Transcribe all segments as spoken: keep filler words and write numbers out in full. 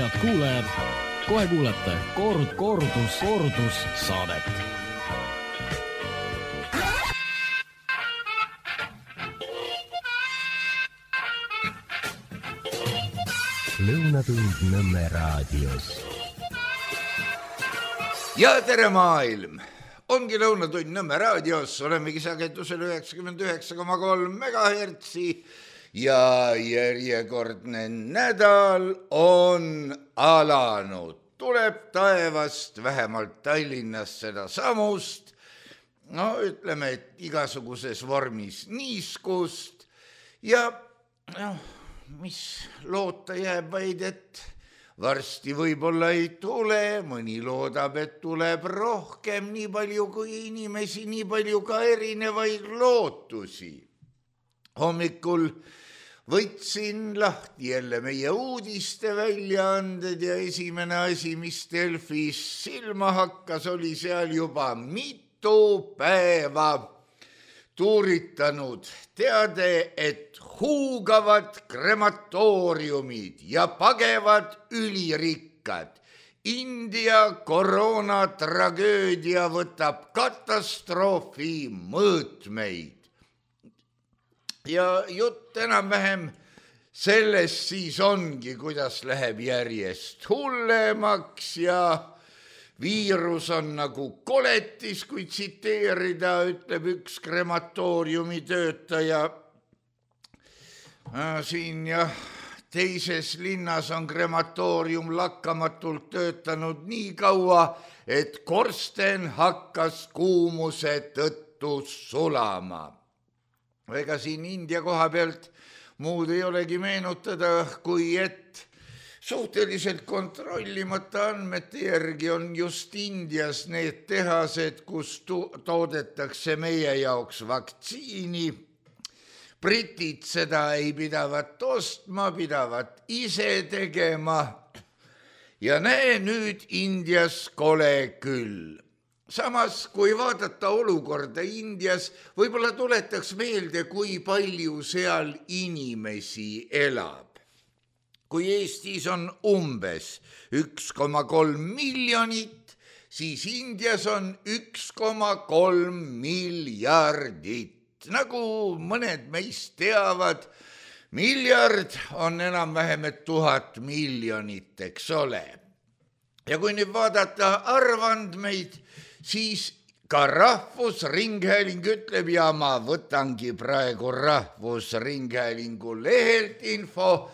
head kuulajad, kohe kuulete koord, koordus, koordus saadet. Lõunatund Nõmme raadios. Ja tere maailm! Ongi Lõunatund Nõmme raadios, olemegi sagedusel üheksakümmend üheksa koma kolm megahertsi ja järjekordne nädal on alanud. Tuleb taevast, vähemalt Tallinnas seda samust, no ütleme, et igasuguses vormis niiskust ja noh, mis loota jääb vaid, et varsti võib-olla ei tule, mõni loodab, et tuleb rohkem, nii palju kui inimesi, nii palju ka erinevaid lootusi. Hommikul võtsin lahti jälle meie uudiste väljaanded ja esimene asi, mis Delfis silma hakkas, oli seal juba mitu päeva tuuritanud teade, et huugavad krematooriumid ja pagevad ülirikkad. India koroonatragöödia võtab katastroofi mõõtmeid. Ja jutt enam-vähem sellest siis ongi, kuidas läheb järjest hullemaks ja viirus on nagu koletis, kui tsiteerida, ütleb üks krematooriumi töötaja. Siin ja teises linnas on krematoorium lakkamatult töötanud nii kaua, et korsten hakkas kuumuse tõttu sulama. Ega siin India koha pealt muud ei olegi meenutada, kui et suhteliselt kontrollimata andmete järgi on just Indias need tehased, kus toodetakse meie jaoks vaktsiini. Britid seda ei pidavat ostma, pidavat ise tegema ja näe nüüd Indias kole küll. Samas, kui vaadata olukorda Indias, võib-olla tuletaks meelde, kui palju seal inimesi elab. Kui Eestis on umbes üks koma kolm miljonit, siis Indias on üks koma kolm miljardit. Nagu mõned meist teavad, miljard on enam-vähem et tuhat miljonit, eks ole. Ja kui nüüd vaadata arvandmeid, siis ka Rahvusringhääling ütleb ja ma võtangi praegu Rahvusringhäälingu lehelt info.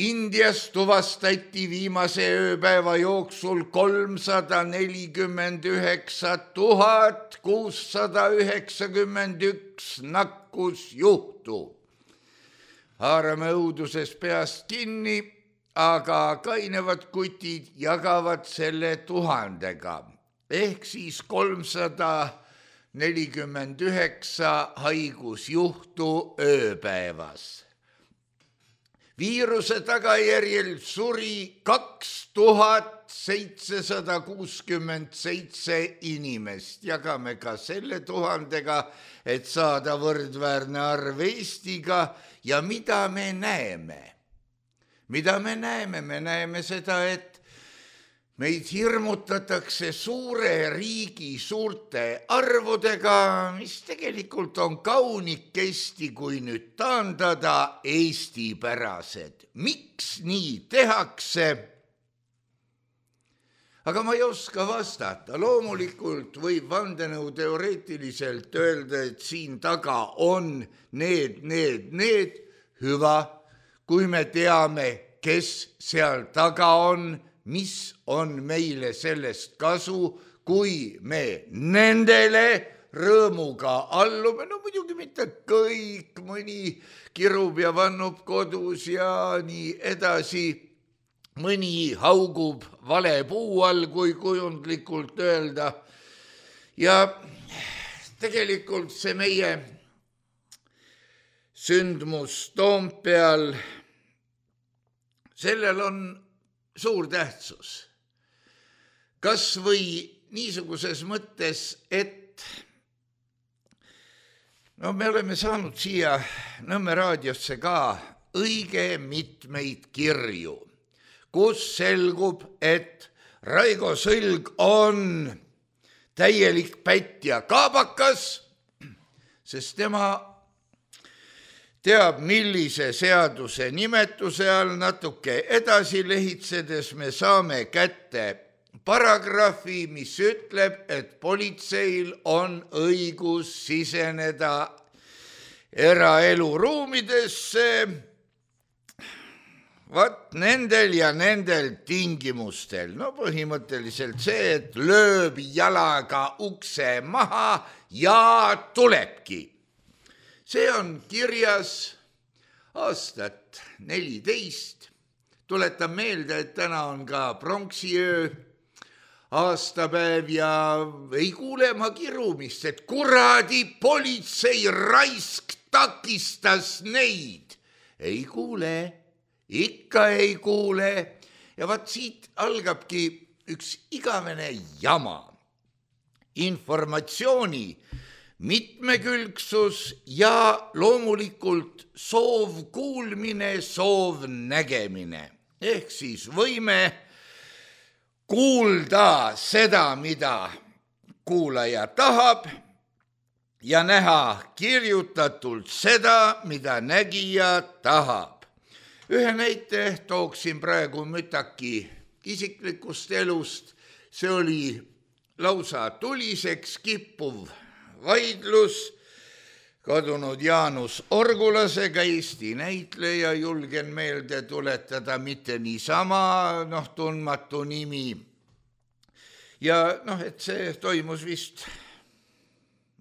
Indias tuvastati viimase ööpäeva jooksul kolmsada nelikümmend üheksa tuhat kuussada üheksakümmend üks nakkusjuhtu. Haarame õuduses peast kinni, aga kainevad kutid jagavad selle tuhandega. Ehk siis kolmsada nelikümmend üheksa haigusjuhtu ööpäevas. Viiruse tagajärjel suri kaks tuhat seitsesada kuuskümmend seitse inimest. Jagame ka selle tuhandega, et saada võrdväärne arv Eestiga. Ja mida me näeme? Mida me näeme? Me näeme seda, et meid hirmutatakse suure riigi suurte arvudega, mis tegelikult on kaunikesti, kui nüüd taandada eestipärased. Miks nii tehakse? Aga ma ei oska vastata. Loomulikult võib vandenõu teoreetiliselt öelda, et siin taga on need, need, need. Hüva, kui me teame, kes seal taga on, mis on meile sellest kasu, kui me nendele rõõmuga allume. No muidugi mitte kõik, mõni kirub ja vannub kodus ja nii edasi. Mõni haugub vale puu all, kui kujundlikult öelda. Ja tegelikult see meie sündmus Toompeal, sellel on suur tähtsus. Kas või niisuguses mõttes, et no me oleme saanud siia Nõmme raadiosse ka õige mitmeid kirju, kus selgub, et Raigo Sõlg on täielik pätt ja kaabakas, sest tema teab, millise seaduse nimetuse all. Natuke edasi lehitsedes me saame kätte paragrahvi, mis ütleb, et politseil on õigus siseneda eraeluruumidesse vaat nendel ja nendel tingimustel. No põhimõtteliselt see, et lööb jalaga ukse maha ja tulebki. See on kirjas aastat neliteist. Tuletan meelde, et täna on ka pronksiöö aastapäev ja ei kuule ma kirumist, et kuradi politsei raisk takistas neid. Ei kuule, ikka ei kuule. Ja vaat siit algabki üks igavene jama. Informatsiooni mitmekülgsus ja loomulikult soov kuulmine, soov nägemine. Ehk siis võime kuulda seda, mida kuulaja tahab ja näha kirjutatult seda, mida nägija tahab. Ühe näite tooksin praegu mütaki isiklikust elust. See oli lausa tuliseks kippuv vaidlus kadunud Jaanus Orgulasega, Eesti näitleja, julgen meelde tuletada, mitte niisama, noh, tundmatu nimi. Ja noh, et see toimus vist,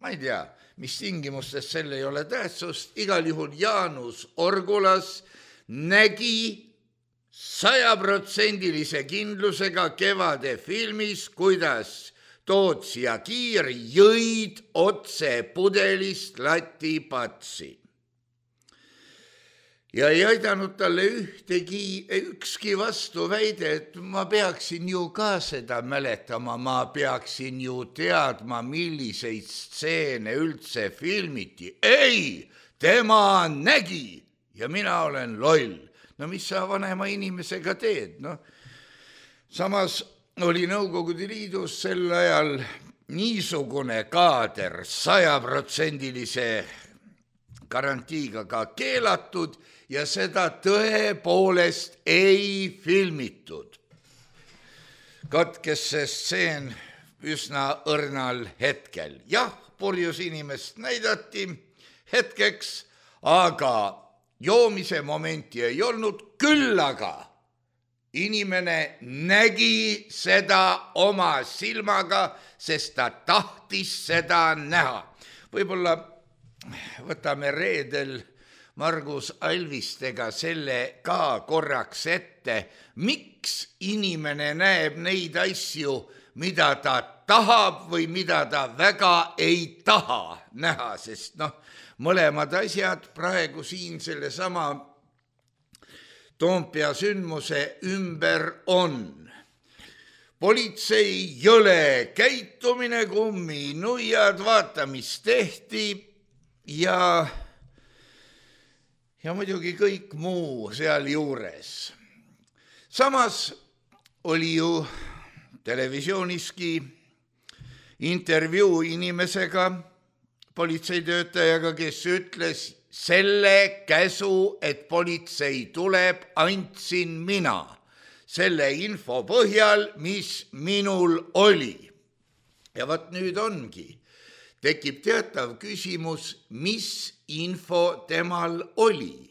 ma ei tea, mis tingimustes, selle ei ole tähtsust, igal juhul Jaanus Orgulas nägi sajaprotsendilise kindlusega Kevade filmis, kuidas Toots ja Kiir jõid otse pudelist latipatsi. Ja ei aidanud talle ühtegi, ükski vastu väide, et ma peaksin ju ka seda mäletama, ma peaksin ju teadma, milliseid stseene üldse filmiti. Ei, tema nägi ja mina olen loll. No mis sa vanema inimesega teed? No, samas oli Nõukogude Liidus sel ajal niisugune kaader sajaprotsendilise garantiiga ka keelatud ja seda tõepoolest ei filmitud. Katkes see stseen üsna õrnal hetkel. Jah, purjus inimest näidati hetkeks, aga joomise momenti ei olnud, küll aga inimene nägi seda oma silmaga, sest ta tahtis seda näha. Võib-olla võtame reedel Margus Alvistega selle ka korraks ette, miks inimene näeb neid asju, mida ta tahab või mida ta väga ei taha näha, sest noh, mõlemad asjad praegu siin selle sama Toompea sündmuse ümber on. Politsei jõle käitumine, kummi nuiad, vaata, mis tehti ja, ja muidugi kõik muu seal juures. Samas oli ju televisiooniski intervjuu inimesega, politseitöötajaga, kes ütles, selle käsu, et politsei tuleb, andsin mina selle info põhjal, mis minul oli. Ja vaat nüüd ongi, tekib teatav küsimus, mis info temal oli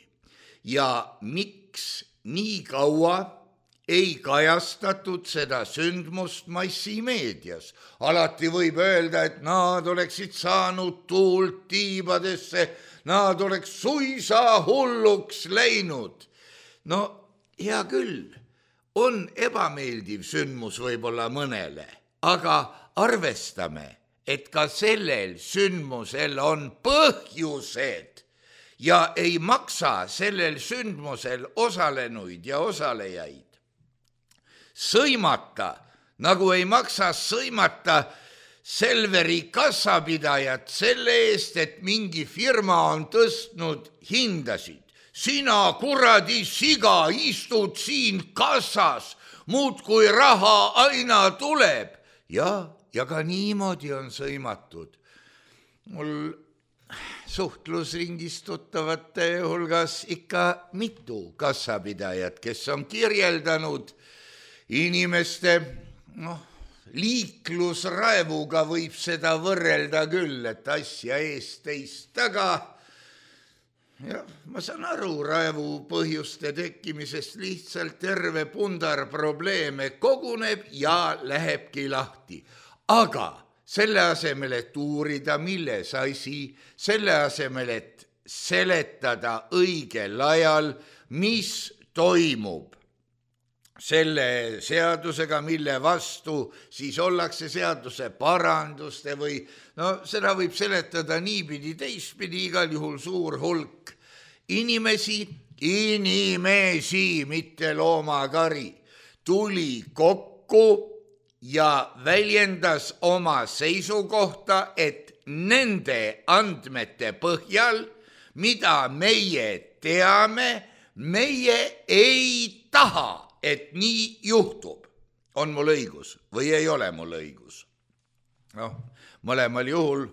ja miks nii kaua ei kajastatud seda sündmust massimeedias. Alati võib öelda, et nad oleksid saanud tuult tiibadesse, nad oleks suisa hulluks läinud. No hea küll, on ebameeldiv sündmus võib-olla mõnele, aga arvestame, et ka sellel sündmusel on põhjused ja ei maksa sellel sündmusel osalenuid ja osalejaid sõimata, nagu ei maksa sõimata Selveri kassapidajat selle eest, et mingi firma on tõstnud hindasid. sina kuradi siga istud siin kassas, muudkui raha aina tuleb. Ja, ja ka niimoodi on sõimatud. Mul suhtlusringis tuttavate hulgas ikka mitu kassapidajat, kes on kirjeldanud inimeste, noh, liiklusraevuga võib seda võrrelda küll, et asja eest teist taga. Ja ma saan aru raevu põhjuste tekkimisest, lihtsalt terve pundar probleeme koguneb ja lähebki lahti. Aga selle asemel, et uurida, milles asi, selle asemel, et seletada õigel ajal, mis toimub selle seadusega, mille vastu siis ollakse seaduse paranduste või no seda võib seletada niipidi teistpidi, igal juhul suur hulk inimesi, inimesi, mitte loomakari, tuli kokku ja väljendas oma seisukohta, et nende andmete põhjal, mida meie teame, meie ei taha, et nii juhtub. On mul õigus või ei ole mul õigus? Noh, mõlemal juhul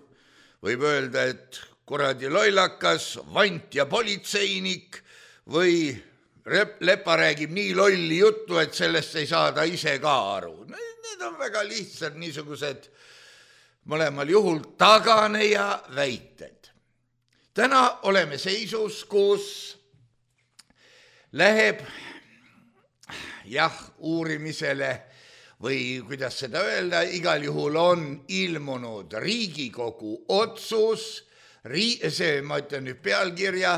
võib öelda, et kuradi lollakas, vant ja politseinik või lepa räägib nii lolli juttu, et sellest ei saada ise ka aru. Need on väga lihtsad niisugused mõlemal juhul taganeja väited. Täna oleme seisus, kus läheb jah, uurimisele või kuidas seda öelda, igal juhul on ilmunud Riigikogu otsus, see, ma ütlen nüüd pealkirja,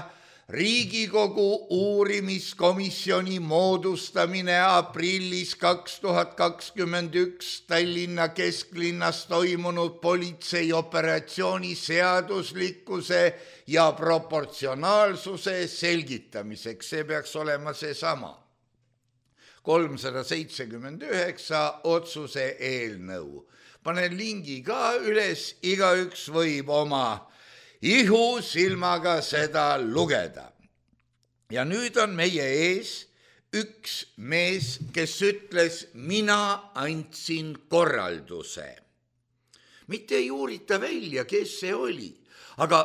Riigikogu uurimiskomisjoni moodustamine aprillis kaks tuhat kakskümmend üks Tallinna kesklinnas toimunud politseioperatsiooni seaduslikkuse ja proportsionaalsuse selgitamiseks. See peaks olema see sama. kolmsada seitsekümmend üheksa otsuse eelnõu. Panen lingi ka üles, igaüks võib oma ihu silmaga seda lugeda. Ja nüüd on meie ees üks mees, kes ütles, mina andsin korralduse. Mitte ei uurita välja, kes see oli, aga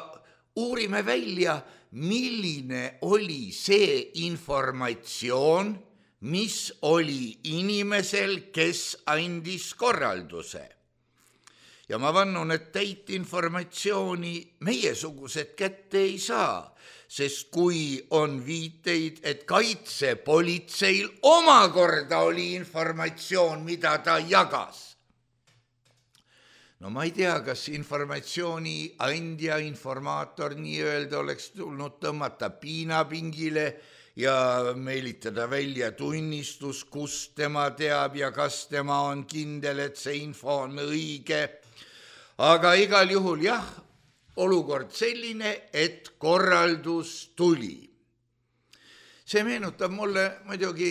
uurime välja, milline oli see informatsioon, mis oli inimesel, kes andis korralduse. Ja ma vannun, et täit informatsiooni meiesugused kätte ei saa, sest kui on viiteid, et kaitsepolitseil omakorda oli informatsioon, mida ta jagas. No ma ei tea, kas informatsiooni andja, informaator nii-öelda oleks tulnud tõmmata piinapingile ja meelitada välja tunnistus, kus tema teab ja kas tema on kindel, et see info on õige. Aga igal juhul jah, olukord selline, et korraldus tuli. See meenutab mulle muidugi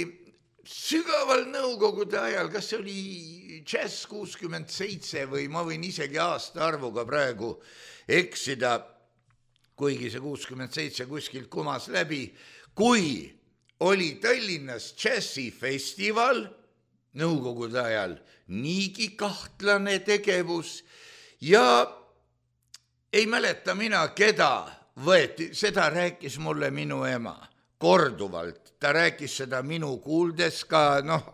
sügaval nõukogude ajal, kas see oli Jazz kuuskümmend seitse või ma võin isegi aasta arvuga praegu eksida, kuigi see kuuskümmend seitse kuskilt kumas läbi, kui oli Tallinnas džässifestival nõukogude ajal niigi kahtlane tegevus ja ei mäleta mina, keda võeti, seda rääkis mulle minu ema korduvalt. Ta rääkis seda minu kuuldes ka noh,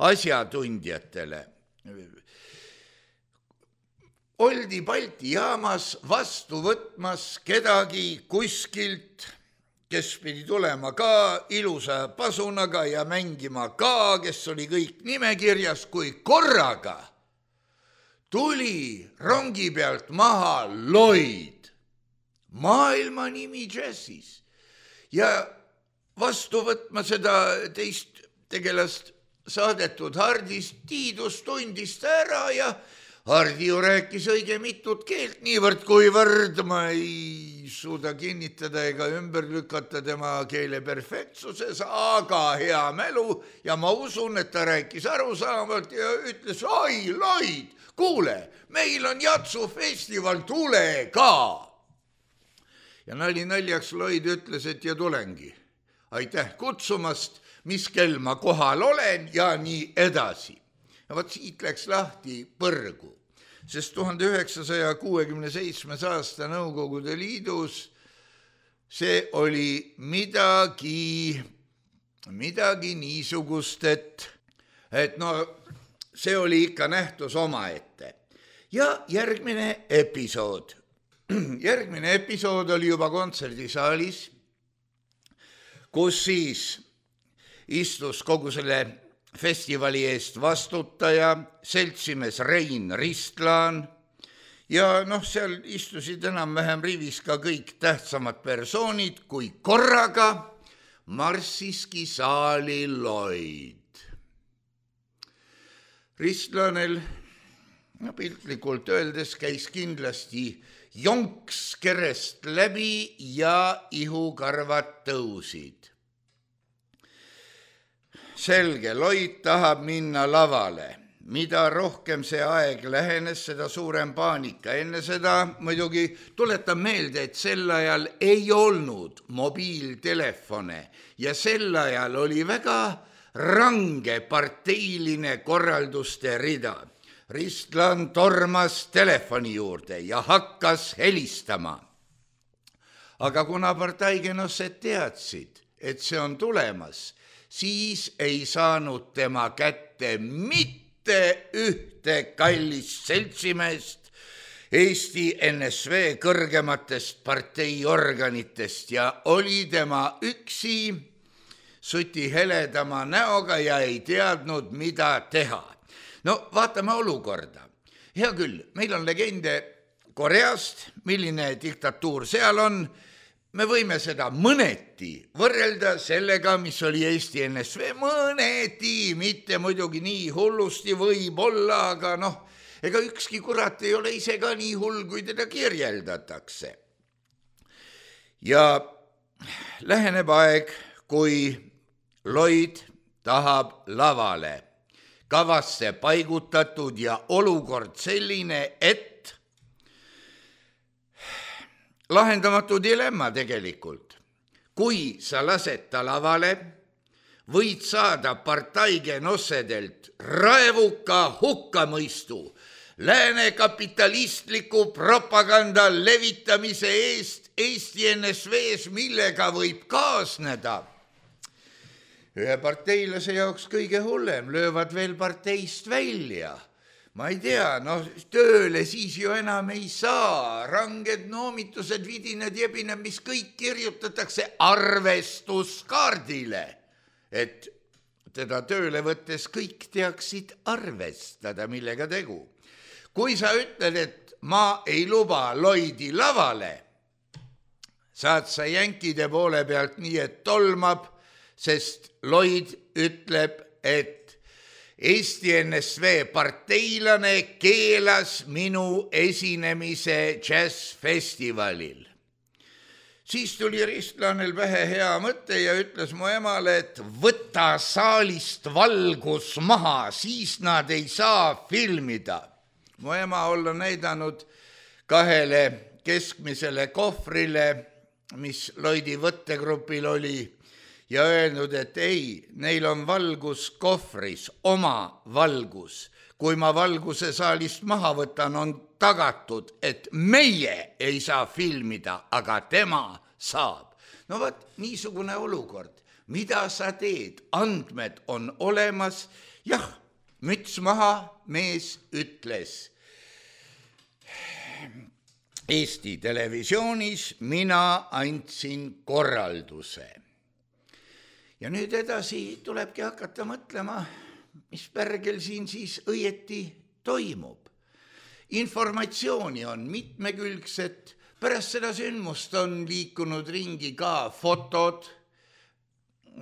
asjatundjatele. Oldi Balti jaamas vastu võtmas kedagi kuskilt, kes pidi tulema ka ilusa pasunaga ja mängima ka, kes oli kõik nimekirjas, kui korraga tuli rongi pealt maha Lloyd, maailma nimi džässis. Ja vastu võtma seda teist tegelast saadetud Hardist Tiidus tundis ta ära ja Hardi ju rääkis õige mitut keelt, niivõrd kuivõrd ma ei suuda kinnitada ega ümber lükata tema keele perfektsuses, aga hea mälu ja ma usun, et ta rääkis arusaamalt ja ütles, oi, Lloyd, kuule, meil on jatsufestival, tule ka. Ja nali naljaks Lloyd ütles, et ja tulengi. aitäh kutsumast, mis kell ma kohal olen ja nii edasi. Ja võt siit läks lahti põrgu, sest tuhande üheksasaja kuuekümne seitsmes aasta Nõukogude Liidus see oli midagi, midagi niisugust, et, et no see oli ikka nähtus omaette. Ja järgmine episood. Järgmine episood oli juba kontserdisaalis, kus siis istus kogu selle festivali eest vastutaja, seltsimees Rein Ristlaan ja noh, seal istusid enam-vähem rivis ka kõik tähtsamad persoonid, kui korraga marssiski saali Lloyd. Ristlaanel, no piltlikult öeldes, käis kindlasti jonks kerest läbi ja ihukarvad tõusid. Selge, Lloyd tahab minna lavale. Mida rohkem see aeg lähenes, seda suurem paanika. Enne seda muidugi tuletan meelde, et sel ajal ei olnud mobiiltelefone ja sel ajal oli väga range parteiline korralduste rida. Ristlaan tormas telefoni juurde ja hakkas helistama. Aga kuna parteigenossed teadsid, et see on tulemas, siis ei saanud tema kätte mitte ühte kallist seltsimeest Eesti N S V kõrgematest parteiorganitest ja oli tema üksi suti heledama näoga ja ei teadnud, mida teha. No vaatame olukorda. Hea küll, meil on legende Koreast, milline diktatuur seal on. Me võime seda mõneti võrrelda sellega, mis oli Eesti N S V. Mõneti, mitte muidugi nii hullusti võib olla, aga noh, ega ükski kurat ei ole ise ka nii hull, kui teda kirjeldatakse. Ja läheneb aeg, kui Lloyd tahab lavale. Kavasse paigutatud ja olukord selline, et lahendamatu dilemma tegelikult. Kui sa lased ta lavale, võid saada partaigenossedelt raevuka hukkamõistu lääne kapitalistliku propaganda levitamise eest Eesti N S V-s, millega võib kaasneda. Ühe parteilase jaoks kõige hullem, löövad veel parteist välja. Ma ei tea, no tööle siis ju enam ei saa, ranged noomitused, vidined, jebined, mis kõik kirjutatakse arvestuskaardile, et teda tööle võttes kõik teaksid arvestada, millega tegu. Kui sa ütled, et ma ei luba Lloydi lavale, saad sa jänkide poole pealt nii, et tolmab, sest Lloyd ütleb, et Eesti N S V parteilane keelas minu esinemise džässfestivalil. Siis tuli Ristlaanel pähe hea mõte ja ütles mu emale, et võta saalist valgus maha, siis nad ei saa filmida. Mu ema olla näidanud kahele keskmisele kohvrile, mis Lloydi võttegrupil oli, ja öelnud, et ei, neil on valgus kohvris, oma valgus. Kui ma valguse saalist maha võtan, on tagatud, et meie ei saa filmida, aga tema saab. No vaat, niisugune olukord. Mida sa teed? Andmed on olemas. Jah, müts maha, mees ütles. Eesti televisioonis mina andsin korralduse. Ja nüüd edasi tulebki hakata mõtlema, mis pärgel siin siis õieti toimub. Informatsiooni on mitmekülgset, pärast seda sündmust on liikunud ringi ka fotod.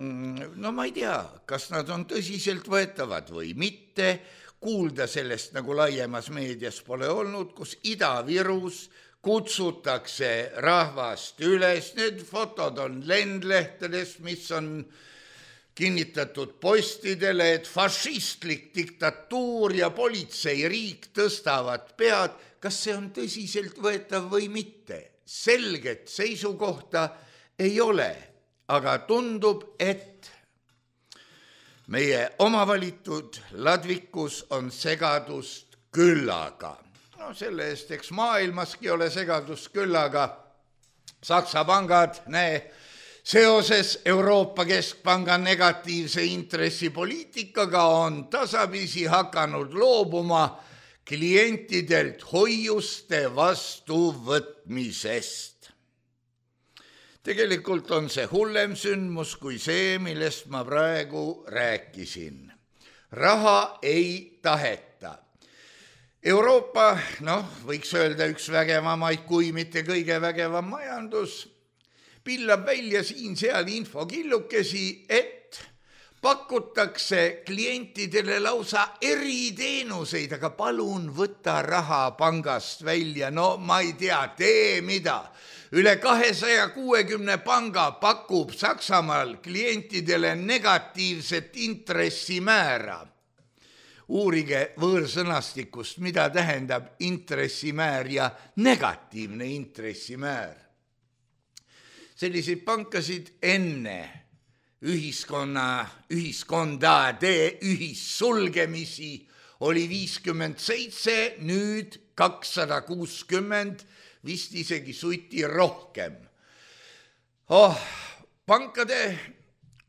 No ma ei tea, kas nad on tõsiselt võetavad või mitte. Kuulda sellest nagu laiemas meedias pole olnud, kus Ida-Virus kutsutakse rahvast üles. Need fotod on lendlehtedes, mis on kinnitatud postidele, et fašistlik diktatuur ja politseiriik tõstavad pead. Kas see on tõsiselt võetav või mitte? Selget seisukohta ei ole, aga tundub, et meie omavalitud ladvikus on segadust küllaga. No selle eest, eks maailmaski ole segadust küllaga. Saksa pangad, näe, seoses Euroopa Keskpanga negatiivse intressipoliitikaga on tasapisi hakanud loobuma klientidelt hoiuste vastuvõtmisest. Tegelikult on see hullem sündmus kui see, millest ma praegu rääkisin. Raha ei taheta. Euroopa, noh, võiks öelda üks vägevamaid, kui mitte kõige vägevam majandus, pillab välja siin-seal infokillukesi, et pakutakse klientidele lausa eriteenuseid, aga palun võta raha pangast välja. No ma ei tea, tee mida. Üle kahesaja kuuekümne panga pakub Saksamaal klientidele negatiivset intressimäära. Uurige võõrsõnastikust, mida tähendab intressimäär ja negatiivne intressimäär. Selliseid pankasid enne ühiskonna, ühiskondade ühissulgemisi oli viiskümmend seitse, nüüd kakssada kuuskümmend, vist isegi suiti rohkem. Oh, pankade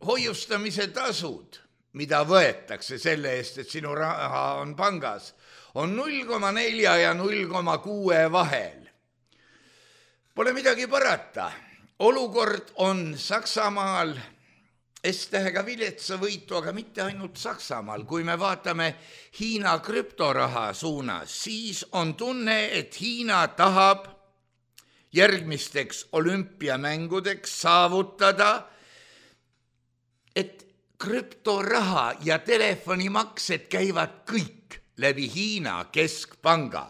hoiustamise tasud, mida võetakse selle eest, et sinu raha on pangas, on null koma neli ja null koma kuus vahel. Pole midagi parata. Olukord on Saksamaal S-tähega viletsa võitu, aga mitte ainult Saksamaal. Kui me vaatame Hiina krüptoraha suunas, siis on tunne, et Hiina tahab järgmisteks olümpiamängudeks saavutada, et krüptoraha ja telefonimaksed käivad kõik läbi Hiina keskpanga.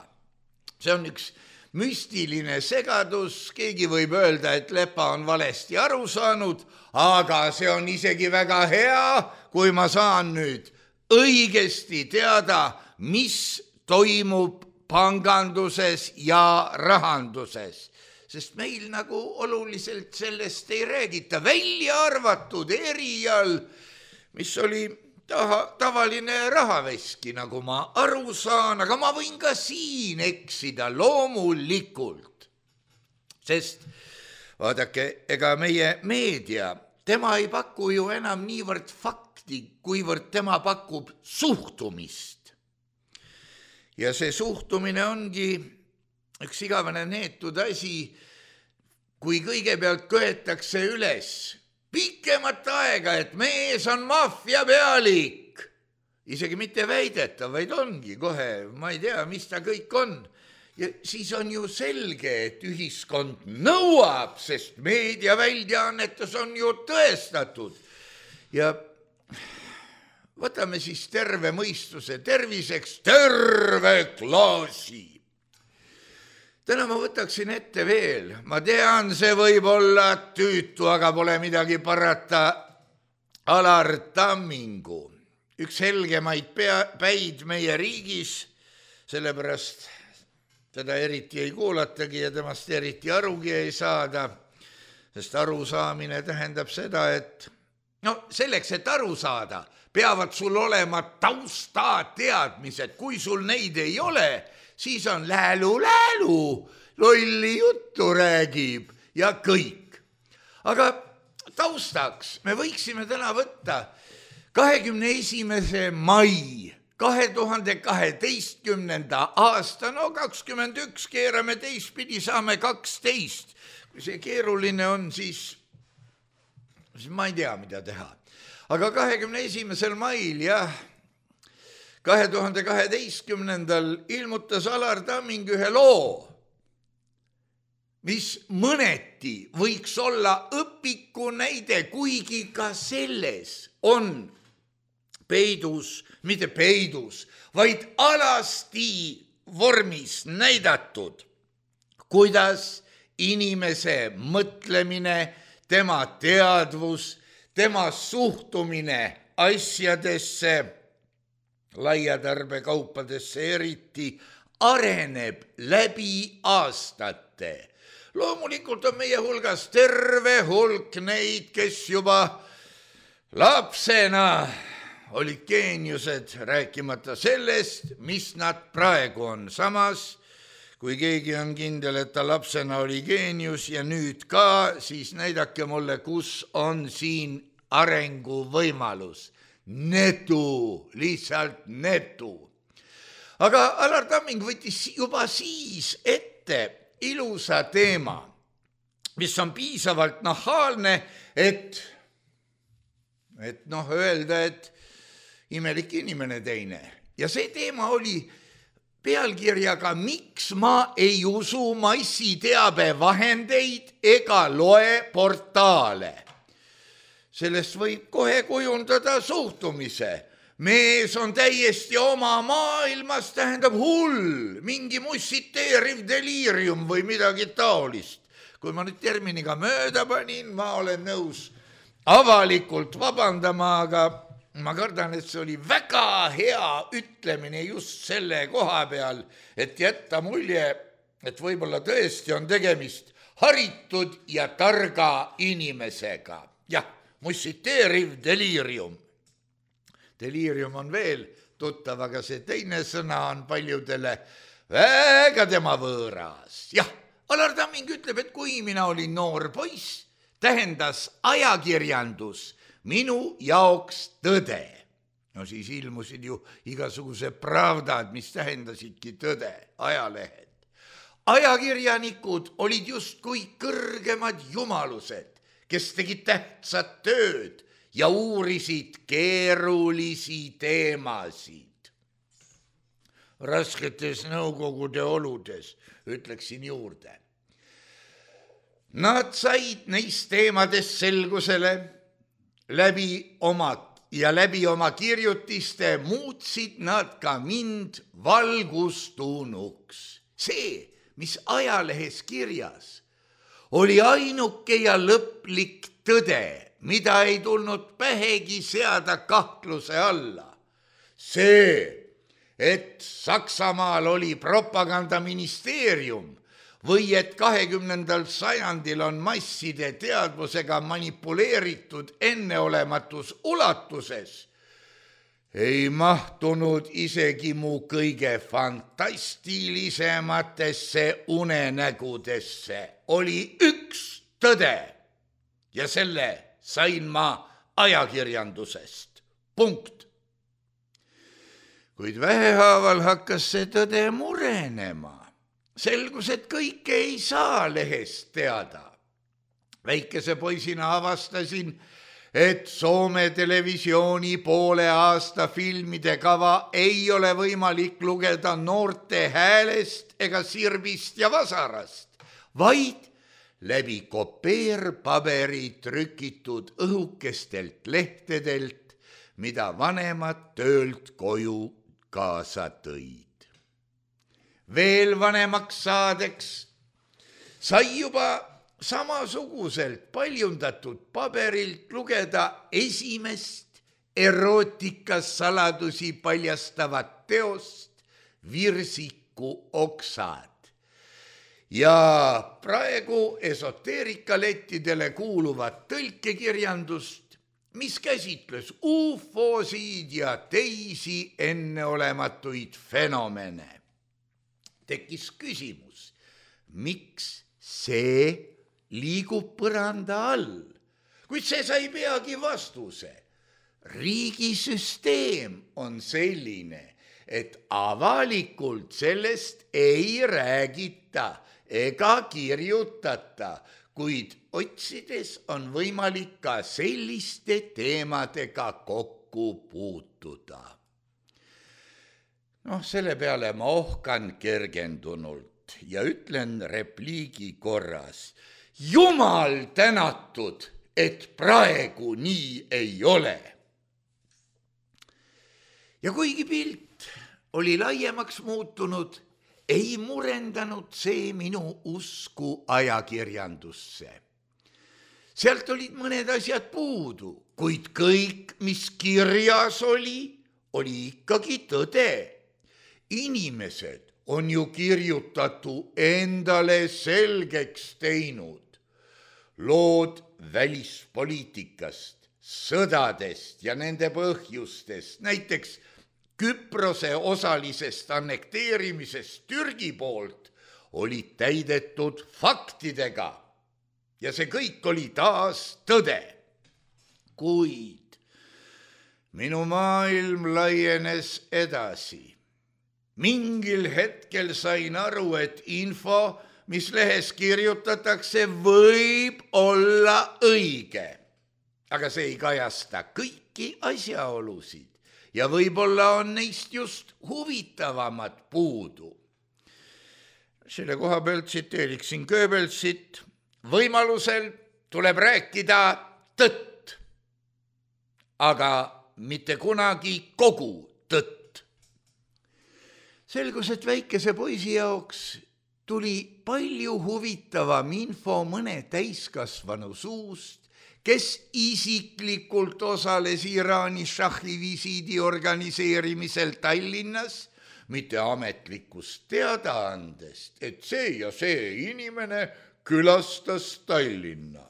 See on üks müstiline segadus, keegi võib öelda, et Lepa on valesti aru saanud, aga see on isegi väga hea, kui ma saan nüüd õigesti teada, mis toimub panganduses ja rahanduses. Sest meil nagu oluliselt sellest ei räägita, välja arvatud erial, mis oli taha, tavaline rahaveski, nagu ma aru saan, aga ma võin ka siin eksida loomulikult. Sest vaadake, ega meie meedia, tema ei paku ju enam niivõrd fakti, kuivõrd tema pakub suhtumist. Ja see suhtumine ongi üks igavene neetud asi, kui kõigepealt köetakse üles pikemat aega, et mees on maffia pealik. Isegi mitte väidetav, vaid ongi kohe, ma ei tea, mis ta kõik on. Ja siis on ju selge, et ühiskond nõuab, sest meediaväljaannetus on ju tõestatud. Ja võtame siis terve mõistuse terviseks terve klaasi. Täna ma võtaksin ette veel, ma tean, see võib olla tüütu, aga pole midagi parata, Alar Tammingu, üks helgemaid pea, päid meie riigis, sellepärast teda eriti ei kuulatagi ja temast eriti arugi ei saada, sest arusaamine tähendab seda, et no selleks, et aru saada, peavad sul olema taustateadmised, kui sul neid ei ole, siis on läälu-läälu, lolli juttu räägib ja kõik. Aga taustaks me võiksime täna võtta kahekümne esimese mai kahe tuhande kaheteistkümnenda aasta, no kakskümmend üks keerame teistpidi, saame kaksteist. Kui see keeruline on, siis, siis ma ei tea, mida teha. Aga kahekümne esimesel mail, jah, kahe tuhande kaheteistkümnendal ilmutas Alar Tamming ühe loo, mis mõneti võiks olla õpiku näide, kuigi ka selles on peidus, mitte peidus, vaid alasti vormis näidatud, kuidas inimese mõtlemine, tema teadvus, tema suhtumine asjadesse, laiatarbekaupadesse eriti, areneb läbi aastate. loomulikult on meie hulgas terve hulk neid, kes juba lapsena olid geeniused, rääkimata sellest, mis nad praegu on. Samas, kui keegi on kindel, et ta lapsena oli geenius ja nüüd ka, siis näidake mulle, kus on siin arenguvõimalus. Netu, lihtsalt netu. Aga Alar Tamming võttis juba siis ette ilusa teema, mis on piisavalt nahaalne, et, et noh, öelda, et imelik inimene teine. Ja see teema oli pealkirjaga Miks ma ei usu massiteabevahendeid ega loe portaale. Sellest võib kohe kujundada suhtumise. Mees on täiesti oma maailmas, tähendab hull, mingi mussiteeriv deliirium või midagi taolist. Kui ma nüüd terminiga mööda panin, ma olen nõus avalikult vabandama, aga ma kardan, et see oli väga hea ütlemine just selle koha peal, et jätta mulje, et võib-olla tõesti on tegemist haritud ja targa inimesega. Jah, mussiteeriv deliirium. Deliirium on veel tuttav, aga see teine sõna on paljudele väga tema võõras. Jah, Alar Tamming ütleb, et kui mina olin noor poiss, tähendas ajakirjandus minu jaoks tõde. No siis ilmusid ju igasuguse pravdad, mis tähendasidki tõde, ajalehed. Ajakirjanikud olid justkui kõrgemad jumalused, kes tegid tähtsat tööd ja uurisid keerulisi teemasid. Rasketes nõukogude oludes, ütleksin juurde. Nad said neist teemades selgusele läbi oma ja läbi oma kirjutiste muutsid nad ka mind valgustunuks. See, mis ajalehes kirjas, oli ainuke ja lõplik tõde, mida ei tulnud pähegi seada kahtluse alla. See, et Saksamaal oli propagandaministeerium või et kahekümnendal sajandil on masside teadvusega manipuleeritud enneolematus ulatuses, ei mahtunud isegi mu kõige fantastilisematesse unenägudesse. Oli üks tõde ja selle sain ma ajakirjandusest. Punkt. Kuid vähehaaval hakkas see tõde murenema. Selgus, et kõike ei saa lehest teada. Väikese poisina avastasin, et Soome televisiooni poole aasta filmide kava ei ole võimalik lugeda noorte häälest ega sirbist ja vasarast, vaid läbi kopeerpaberi trükitud õhukestelt lehtedelt, mida vanemad töölt koju kaasa tõid. Veel vanemaks saadeks sai juba samasuguselt paljundatud paberilt lugeda esimest erootikas saladusi paljastavat teost Virsiku oksad. Ja praegu esoteerikalettidele kuuluvat tõlkekirjandust, mis käsitles ufosid ja teisi enneolematuid fenomene. Tekkis küsimus, miks see liigub põranda all, kuid see sai peagi vastuse. Riigisüsteem on selline, et avalikult sellest ei räägita ega kirjutata, kuid otsides on võimalik ka selliste teemadega kokku puutuda. Noh, selle peale ma ohkan kergendunult ja ütlen repliigi korras. Jumal tänatud, et praegu nii ei ole. Ja kuigi pilt oli laiemaks muutunud, ei murendanud see minu usku ajakirjandusse. Sealt olid mõned asjad puudu, kuid kõik, mis kirjas oli, oli ikkagi tõde. Inimesed on ju kirjutatu endale selgeks teinud. Lood välispoliitikast, sõdadest ja nende põhjustest, näiteks Küprose osalisest annekteerimisest Türgi poolt, olid täidetud faktidega ja see kõik oli taas tõde. Kuid minu maailm laienes edasi. Mingil hetkel sain aru, et info, mis lehes kirjutatakse, võib olla õige, aga see ei kajasta kõiki asjaolusid ja võib-olla on neist just huvitavamad puudu. Selle koha pealt tsiteeriksin Goebbelsit, võimalusel tuleb rääkida tõtt, aga mitte kunagi kogu tõtt. Selgus, et väikese poisi jaoks tuli palju huvitavam info mõne täiskasvanu suust, kes isiklikult osales Iraani šahhi visiidi organiseerimisel Tallinnas, mitte ametlikust teadaandest, et see ja see inimene külastas Tallinna.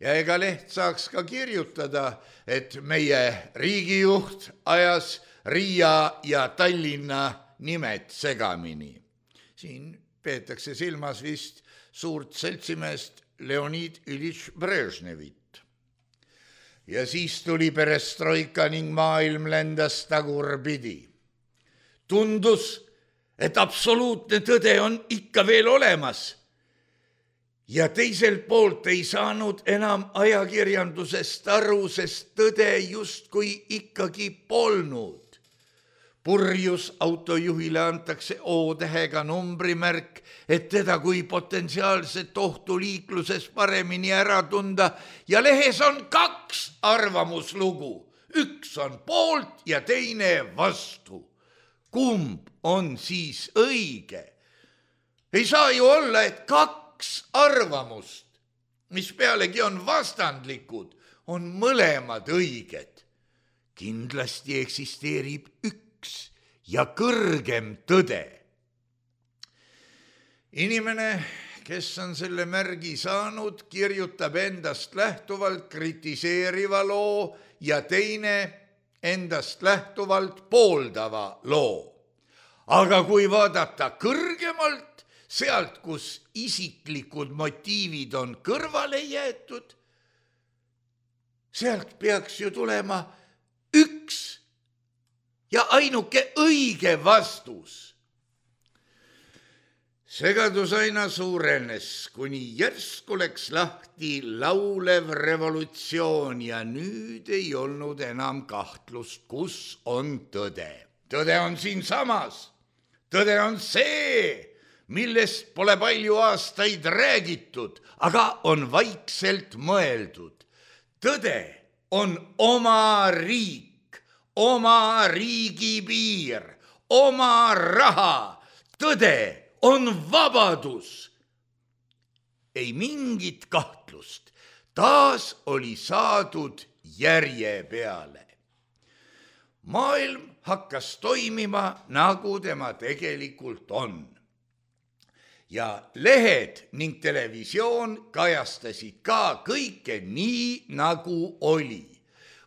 Ja ega leht saaks ka kirjutada, et meie riigijuht ajas Riia ja Tallinna nimed segamini. Siin peetakse silmas vist suurt seltsimeest Leonid Iljitš Brežnevit. Ja siis tuli perestroika ning maailm lendas tagurpidi. Tundus, et absoluutne tõde on ikka veel olemas. Ja teiselt poolt ei saanud enam ajakirjandusest aru, sest tõde justkui ikkagi polnud. Purjus autojuhile antakse O-tähega numbrimärk, et teda kui potentsiaalset ohtu liikluses paremini ära tunda ja lehes on kaks arvamuslugu. Üks on poolt ja teine vastu. Kumb on siis õige? Ei saa ju olla, et kaks arvamust, mis pealegi on vastandlikud, on mõlemad õiged. Kindlasti eksisteerib üks ja kõrgem tõde. Inimene, kes on selle märgi saanud, kirjutab endast lähtuvalt kritiseeriva loo ja teine endast lähtuvalt pooldava loo. Aga kui vaadata kõrgemalt, sealt, kus isiklikud motiivid on kõrvale jäetud, sealt peaks ju tulema üks ja ainuke õige vastus. Segadus aina suurenes, kuni järsku läks lahti laulev revolutsioon ja nüüd ei olnud enam kahtlust, kus on tõde. Tõde on siinsamas. Tõde on see, millest pole palju aastaid räägitud, aga on vaikselt mõeldud. Tõde on oma riik, oma riigipiir, oma raha. Tõde on vabadus. Ei mingit kahtlust. Taas oli saadud järje peale. Maailm hakkas toimima, nagu tema tegelikult on. Ja lehed ning televisioon kajastasid ka kõike nii, nagu oli.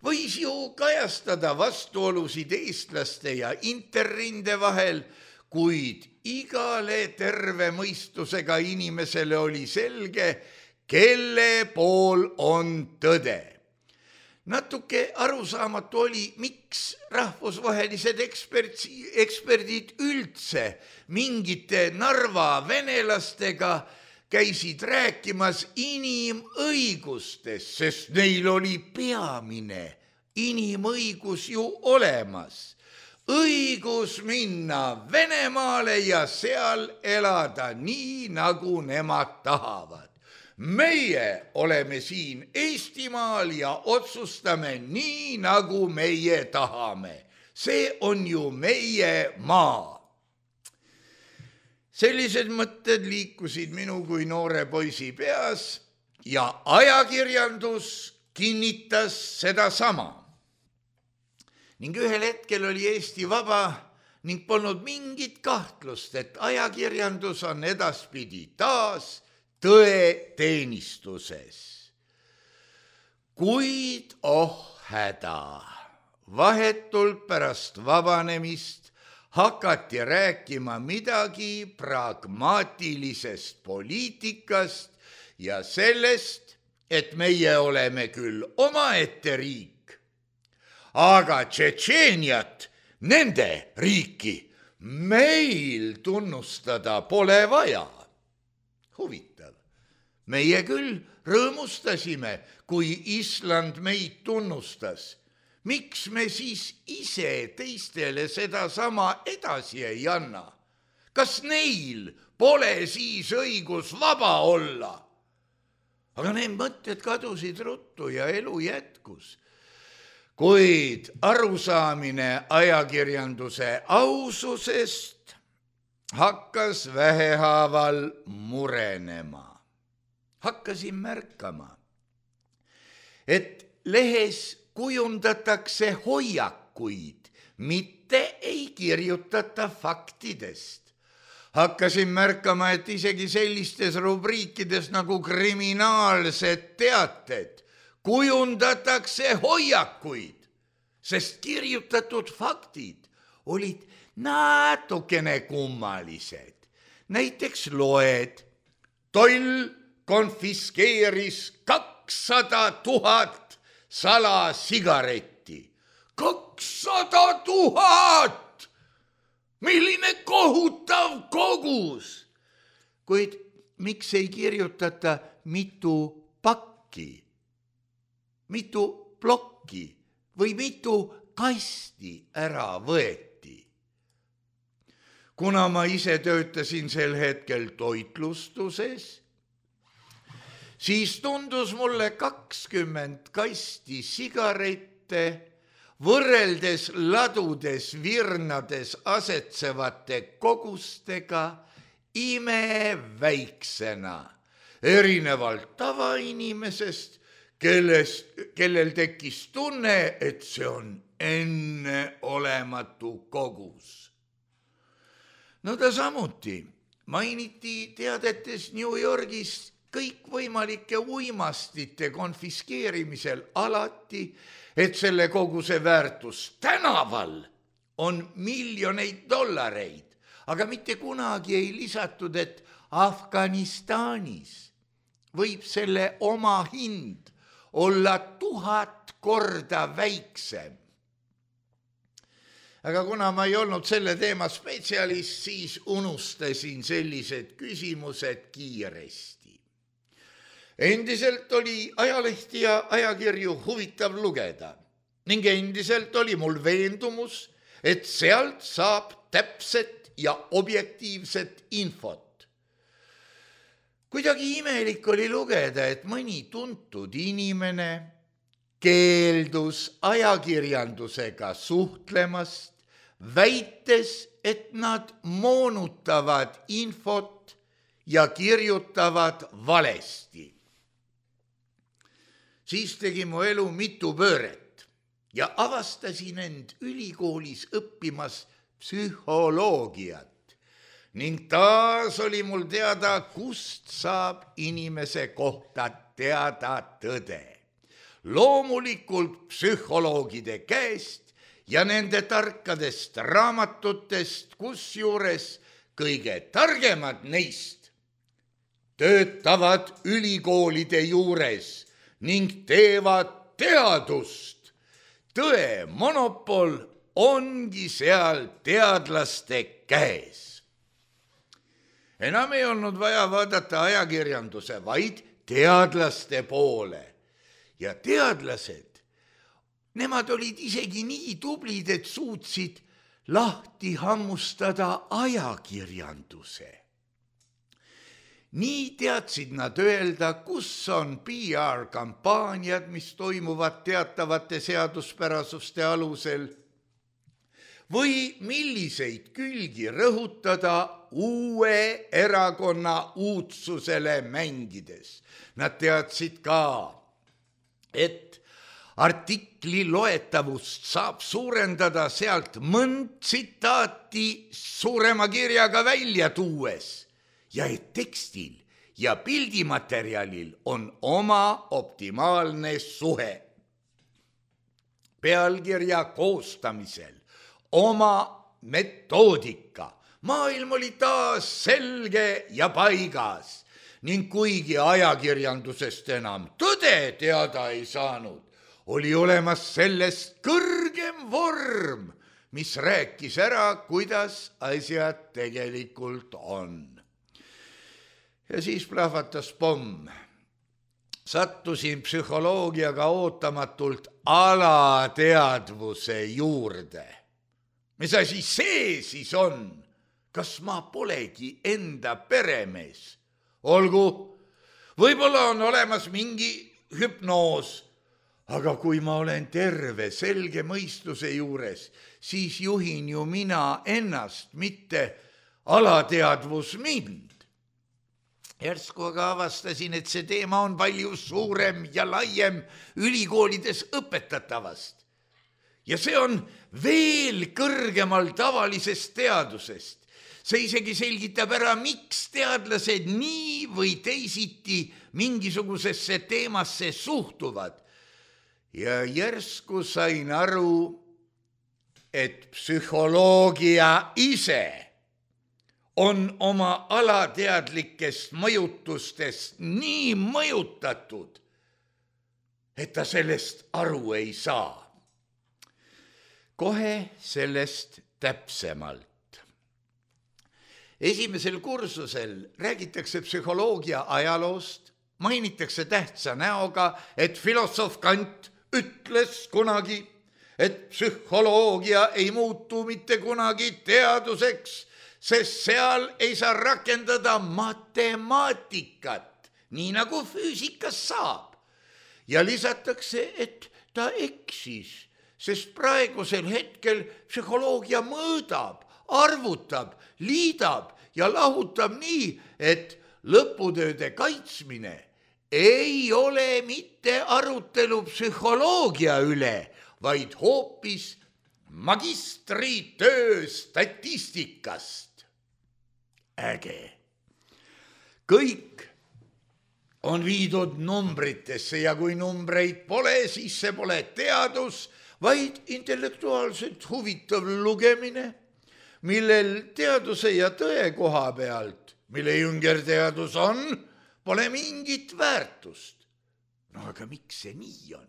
Võis ju kajastada vastuolusid eestlaste ja interrinde vahel, kuid igale terve mõistusega inimesele oli selge, kelle pool on tõde. Natuke arusaamatu oli, miks rahvusvahelised ekspertsi, eksperdid üldse mingite Narva venelastega käisid rääkimas inimõigustest, sest neil oli peamine inimõigus ju olemas. Õigus minna Venemaale ja seal elada nii, nagu nemad tahavad. Meie oleme siin Eestimaal ja otsustame nii, nagu meie tahame. See on ju meie maa. Sellised mõtted liikusid minu kui noore poisi peas ja ajakirjandus kinnitas seda sama. Ning ühel hetkel oli Eesti vaba ning polnud mingit kahtlust, et ajakirjandus on edaspidi taas tõe teenistuses. Kuid oh häda, vahetult pärast vabanemist hakati rääkima midagi pragmaatilisest poliitikast ja sellest, et meie oleme küll omaette riik, aga Tšetšeeniat, nende riiki, meil tunnustada pole vaja. Huvitav, meie küll rõõmustasime, kui Island meid tunnustas. Miks me siis ise teistele seda sama edasi ei anna? Kas neil pole siis õigus vaba olla? Aga need mõtted kadusid ruttu ja elu jätkus. Kuid arusaamine ajakirjanduse aususest hakkas vähehaaval murenema. Hakkasin märkama, et lehes kujundatakse hoiakuid, mitte ei kirjutata faktidest. Hakkasin märkama, et isegi sellistes rubriikides nagu kriminaalsed teated kujundatakse hoiakuid, sest kirjutatud faktid olid natukene kummalised. Näiteks loed, toll konfiskeeris kakssada tuhat salasigaretti. kakssada tuhat! Milline kohutav kogus! Kuid miks ei kirjutata mitu pakki, mitu plokki või mitu kasti ära võeti? Kuna ma ise töötasin sel hetkel toitlustuses, siis tundus mulle kakskümmend kasti sigarette võrreldes ladudes virnades asetsevate kogustega imeväiksena, erinevalt tavainimesest, kellest, kellel tekkis tunne, et see on enneolematu kogus. No ta samuti mainiti teadetes New Yorgis kõikvõimalike uimastite konfiskeerimisel alati, et selle koguse väärtus tänaval on miljoneid dollareid, aga mitte kunagi ei lisatud, et Afganistanis võib selle oma hind olla tuhat korda väiksem. Aga kuna ma ei olnud selle teema spetsialist, siis unustasin sellised küsimused kiiresti. Endiselt oli ajalehti ja ajakirju huvitav lugeda ning endiselt oli mul veendumus, et sealt saab täpset ja objektiivset infot. Kuidagi imelik oli lugeda, et mõni tuntud inimene keeldus ajakirjandusega suhtlemast, väites, et nad moonutavad infot ja kirjutavad valesti. Siis tegi mu elu mitu pööret ja avastasin end ülikoolis õppimas psühholoogiat ning taas oli mul teada, kust saab inimese kohta teada tõde. Loomulikult psühholoogide käest ja nende tarkadest raamatutest, kusjuures kõige targemad neist töötavad ülikoolide juures ning teevad teadust. Tõe monopol ongi seal teadlaste käes. Enam ei olnud vaja vaadata ajakirjanduse, vaid teadlaste poole. Ja teadlased, nemad olid isegi nii tublid, et suutsid lahti hammustada ajakirjanduse. Nii teadsid nad öelda, kus on P R-kampaaniad, mis toimuvad teatavate seaduspärasuste alusel, või milliseid külgi rõhutada uue erakonna uudsusele mängides. Nad teadsid ka, et artikli loetavust saab suurendada sealt mõnd tsitaati suurema kirjaga välja tuues ja et tekstil ja pildimaterjalil on oma optimaalne suhe. Pealkirja koostamisel oma metoodika. Maailm oli taas selge ja paigas ning kuigi ajakirjandusest enam tõde teada ei saanud, oli olemas sellest kõrgem vorm, mis rääkis ära, kuidas asjad tegelikult on. Ja siis plahvatas pomm. Sattusin psühholoogiaga ootamatult alateadvuse juurde. Mis asi see siis on? Kas ma polegi enda peremees? Olgu, võib-olla on olemas mingi hüpnoos, aga kui ma olen terve, selge mõistuse juures, siis juhin ju mina ennast, mitte alateadvus mind. Järsku aga avastasin, et see teema on palju suurem ja laiem ülikoolides õpetatavast. Ja see on veel kõrgemal tavalisest teadusest. See isegi selgitab ära, miks teadlased nii või teisiti mingisugusesse teemasse suhtuvad. Ja järsku sain aru, et psühholoogia ise on oma alateadlikest mõjutustest nii mõjutatud, et ta sellest aru ei saa. Kohe sellest täpsemalt. Esimesel kursusel räägitakse psühholoogia ajaloost, mainitakse tähtsa näoga, et filosoof Kant ütles kunagi, et psühholoogia ei muutu mitte kunagi teaduseks, sest seal ei saa rakendada matemaatikat, nii nagu füüsikas saab. Ja lisatakse, et ta eksis, sest praegusel hetkel psühholoogia mõõdab, arvutab, liidab ja lahutab nii, et lõputööde kaitsmine ei ole mitte arutelu psühholoogia üle, vaid hoopis magistritöö statistikast. Äge. Kõik on viidud numbritesse ja kui numbreid pole, siis see pole teadus, vaid intellektuaalselt huvitav lugemine, millel teaduse ja tõe koha pealt, mille jüngerteadus on, pole mingit väärtust. No aga miks see nii on?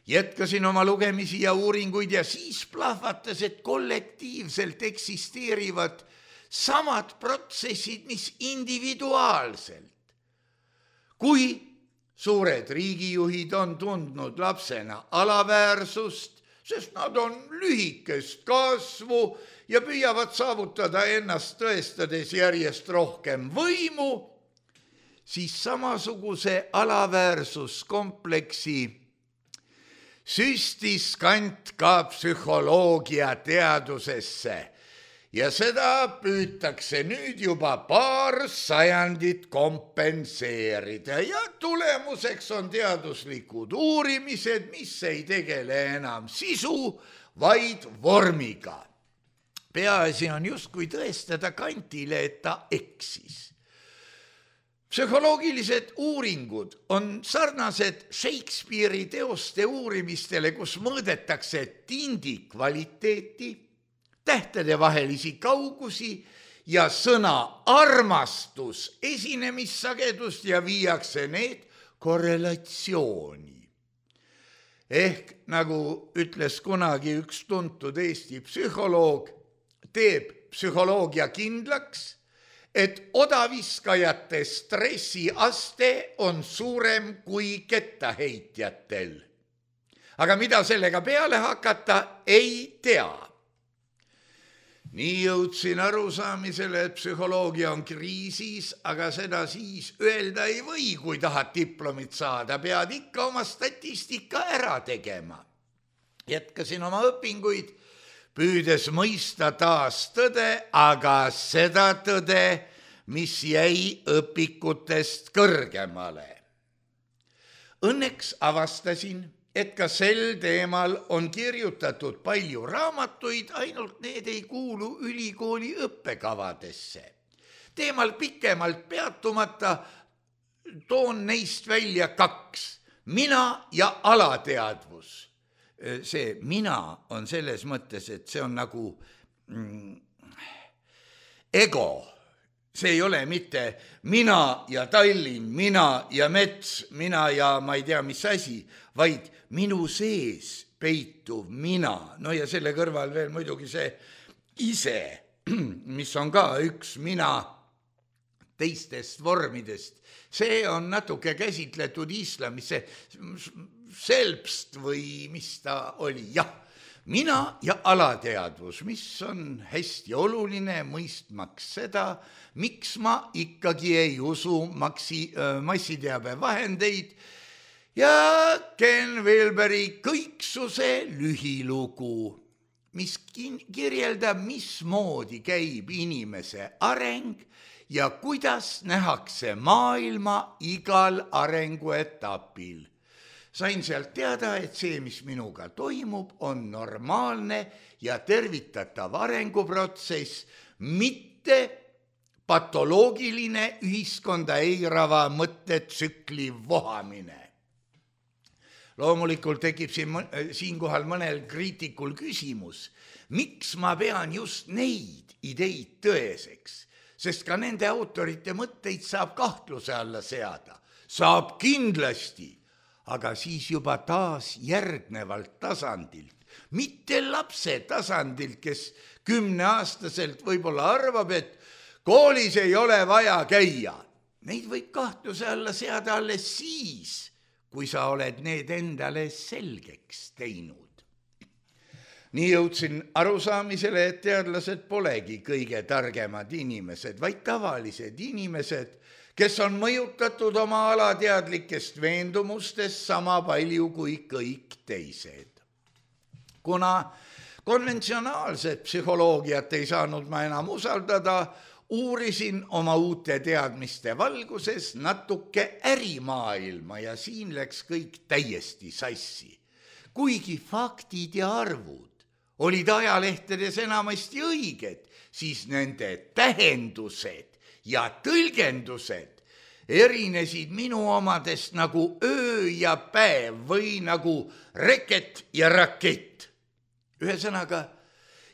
Jätkasin oma lugemisi ja uuringuid ja siis plahvatas, et kollektiivselt eksisteerivad samad protsessid, mis individuaalselt. Kui suured riigijuhid on tundnud lapsena alaväärsust, sest nad on lühikest kasvu ja püüavad saavutada ennast tõestades järjest rohkem võimu, siis samasuguse alaväärsuskompleksi süstis Kant ka psühholoogia teadusesse ja seda püütakse nüüd juba paar sajandit kompenseerida ja tulemuseks on teaduslikud uurimised, mis ei tegele enam sisu, vaid vormiga. Peaasi on justkui tõestada Kantile, et ta eksis. Psühholoogilised uuringud on sarnased Shakespeare'i teoste uurimistele, kus mõõdetakse tindi kvaliteeti, tähtede vahelisi kaugusi ja sõna armastus esinemissagedust ja viiakse need korrelatsiooni. Ehk nagu ütles kunagi üks tuntud Eesti psühholoog, teeb psühholoogia kindlaks, et odaviskajate stressiaste on suurem kui kettaheitjatel. Aga mida sellega peale hakata, ei tea. Nii jõudsin arusaamisele, et psühholoogia on kriisis, aga seda siis öelda ei või, kui tahad diplomit saada, pead ikka oma statistika ära tegema. Jätkasin oma õpinguid, püüdes mõista taas tõde, aga seda tõde, mis jäi õpikutest kõrgemale. Õnneks avastasin et ka sel teemal on kirjutatud palju raamatuid, ainult need ei kuulu ülikooli õppekavadesse. Teemal pikemalt peatumata toon neist välja kaks, mina ja alateadvus. See mina on selles mõttes, et see on nagu mm, ego. See ei ole mitte mina ja Tallinn, mina ja mets, mina ja ma ei tea, mis asi, vaid minu sees peituv mina. No ja selle kõrval veel muidugi see ise, mis on ka üks mina teistest vormidest. See on natuke käsitletud islamis, see selbst või mis ta oli, jah. Mina ja alateadvus, mis on hästi oluline mõistmaks seda, miks ma ikkagi ei usu maksi, massiteabe vahendeid ja Ken Wilberi kõiksuse lühilugu, mis kirjeldab, mismoodi käib inimese areng ja kuidas nähakse maailma igal arenguetapil. Sain sealt teada, et see, mis minuga toimub, on normaalne ja tervitatav arenguprotsess, mitte patoloogiline ühiskonda eirava mõttetsükli vohamine. Loomulikult tekib siin, siinkohal mõnel kriitikul küsimus, miks ma pean just neid ideid tõeseks, sest ka nende autorite mõtteid saab kahtluse alla seada. Saab kindlasti, aga siis juba taas järgnevalt tasandilt, mitte lapse tasandilt, kes kümneaastaselt võib-olla arvab, et koolis ei ole vaja käia. Neid võib kahtluse alla seada alles siis, kui sa oled need endale selgeks teinud. Nii jõudsin arusaamisele, et teadlased polegi kõige targemad inimesed, vaid tavalised inimesed, kes on mõjutatud oma alateadlikest veendumustest sama palju kui kõik teised. Kuna konventsionaalset psühholoogiat ei saanud ma enam usaldada, uurisin oma uute teadmiste valguses natuke ärimaailma ja siin läks kõik täiesti sassi. Kuigi faktid ja arvud olid ajalehtedes enamasti õiged, siis nende tähendused ja tõlgendused erinesid minu omadest nagu öö ja päev või nagu reket ja rakett. Ühesõnaga,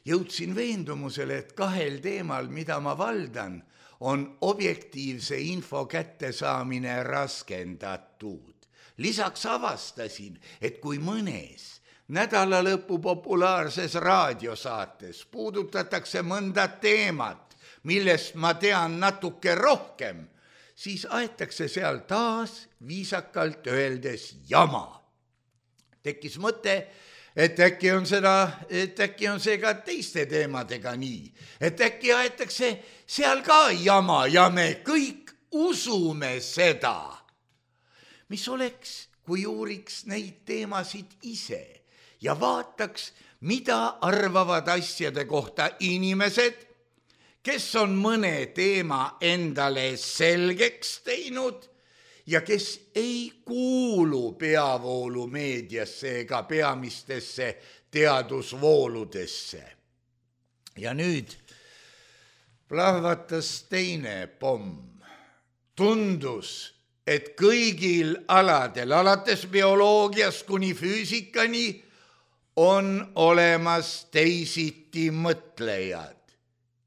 jõudsin veendumusele, et kahel teemal, mida ma valdan, on objektiivse info kättesaamine raskendatud. Lisaks avastasin, et kui mõnes nädalalõpu populaarses raadiosaates puudutatakse mõnda teemat, millest ma tean natuke rohkem, siis aetakse seal taas viisakalt öeldes jama. Tekkis mõte, et äkki on seda, et äkki on see ka teiste teemadega nii, et äkki aetakse seal ka jama ja me kõik usume seda. Mis oleks, kui uuriks neid teemasid ise ja vaataks, mida arvavad asjade kohta inimesed, kes on mõne teema endale selgeks teinud ja kes ei kuulu peavoolumeediasse ega peamistesse teadusvooludesse. Ja nüüd plahvatas teine pomm. Tundus, et kõigil aladel, alates bioloogiast kuni füüsikani, on olemas teisiti mõtlejad.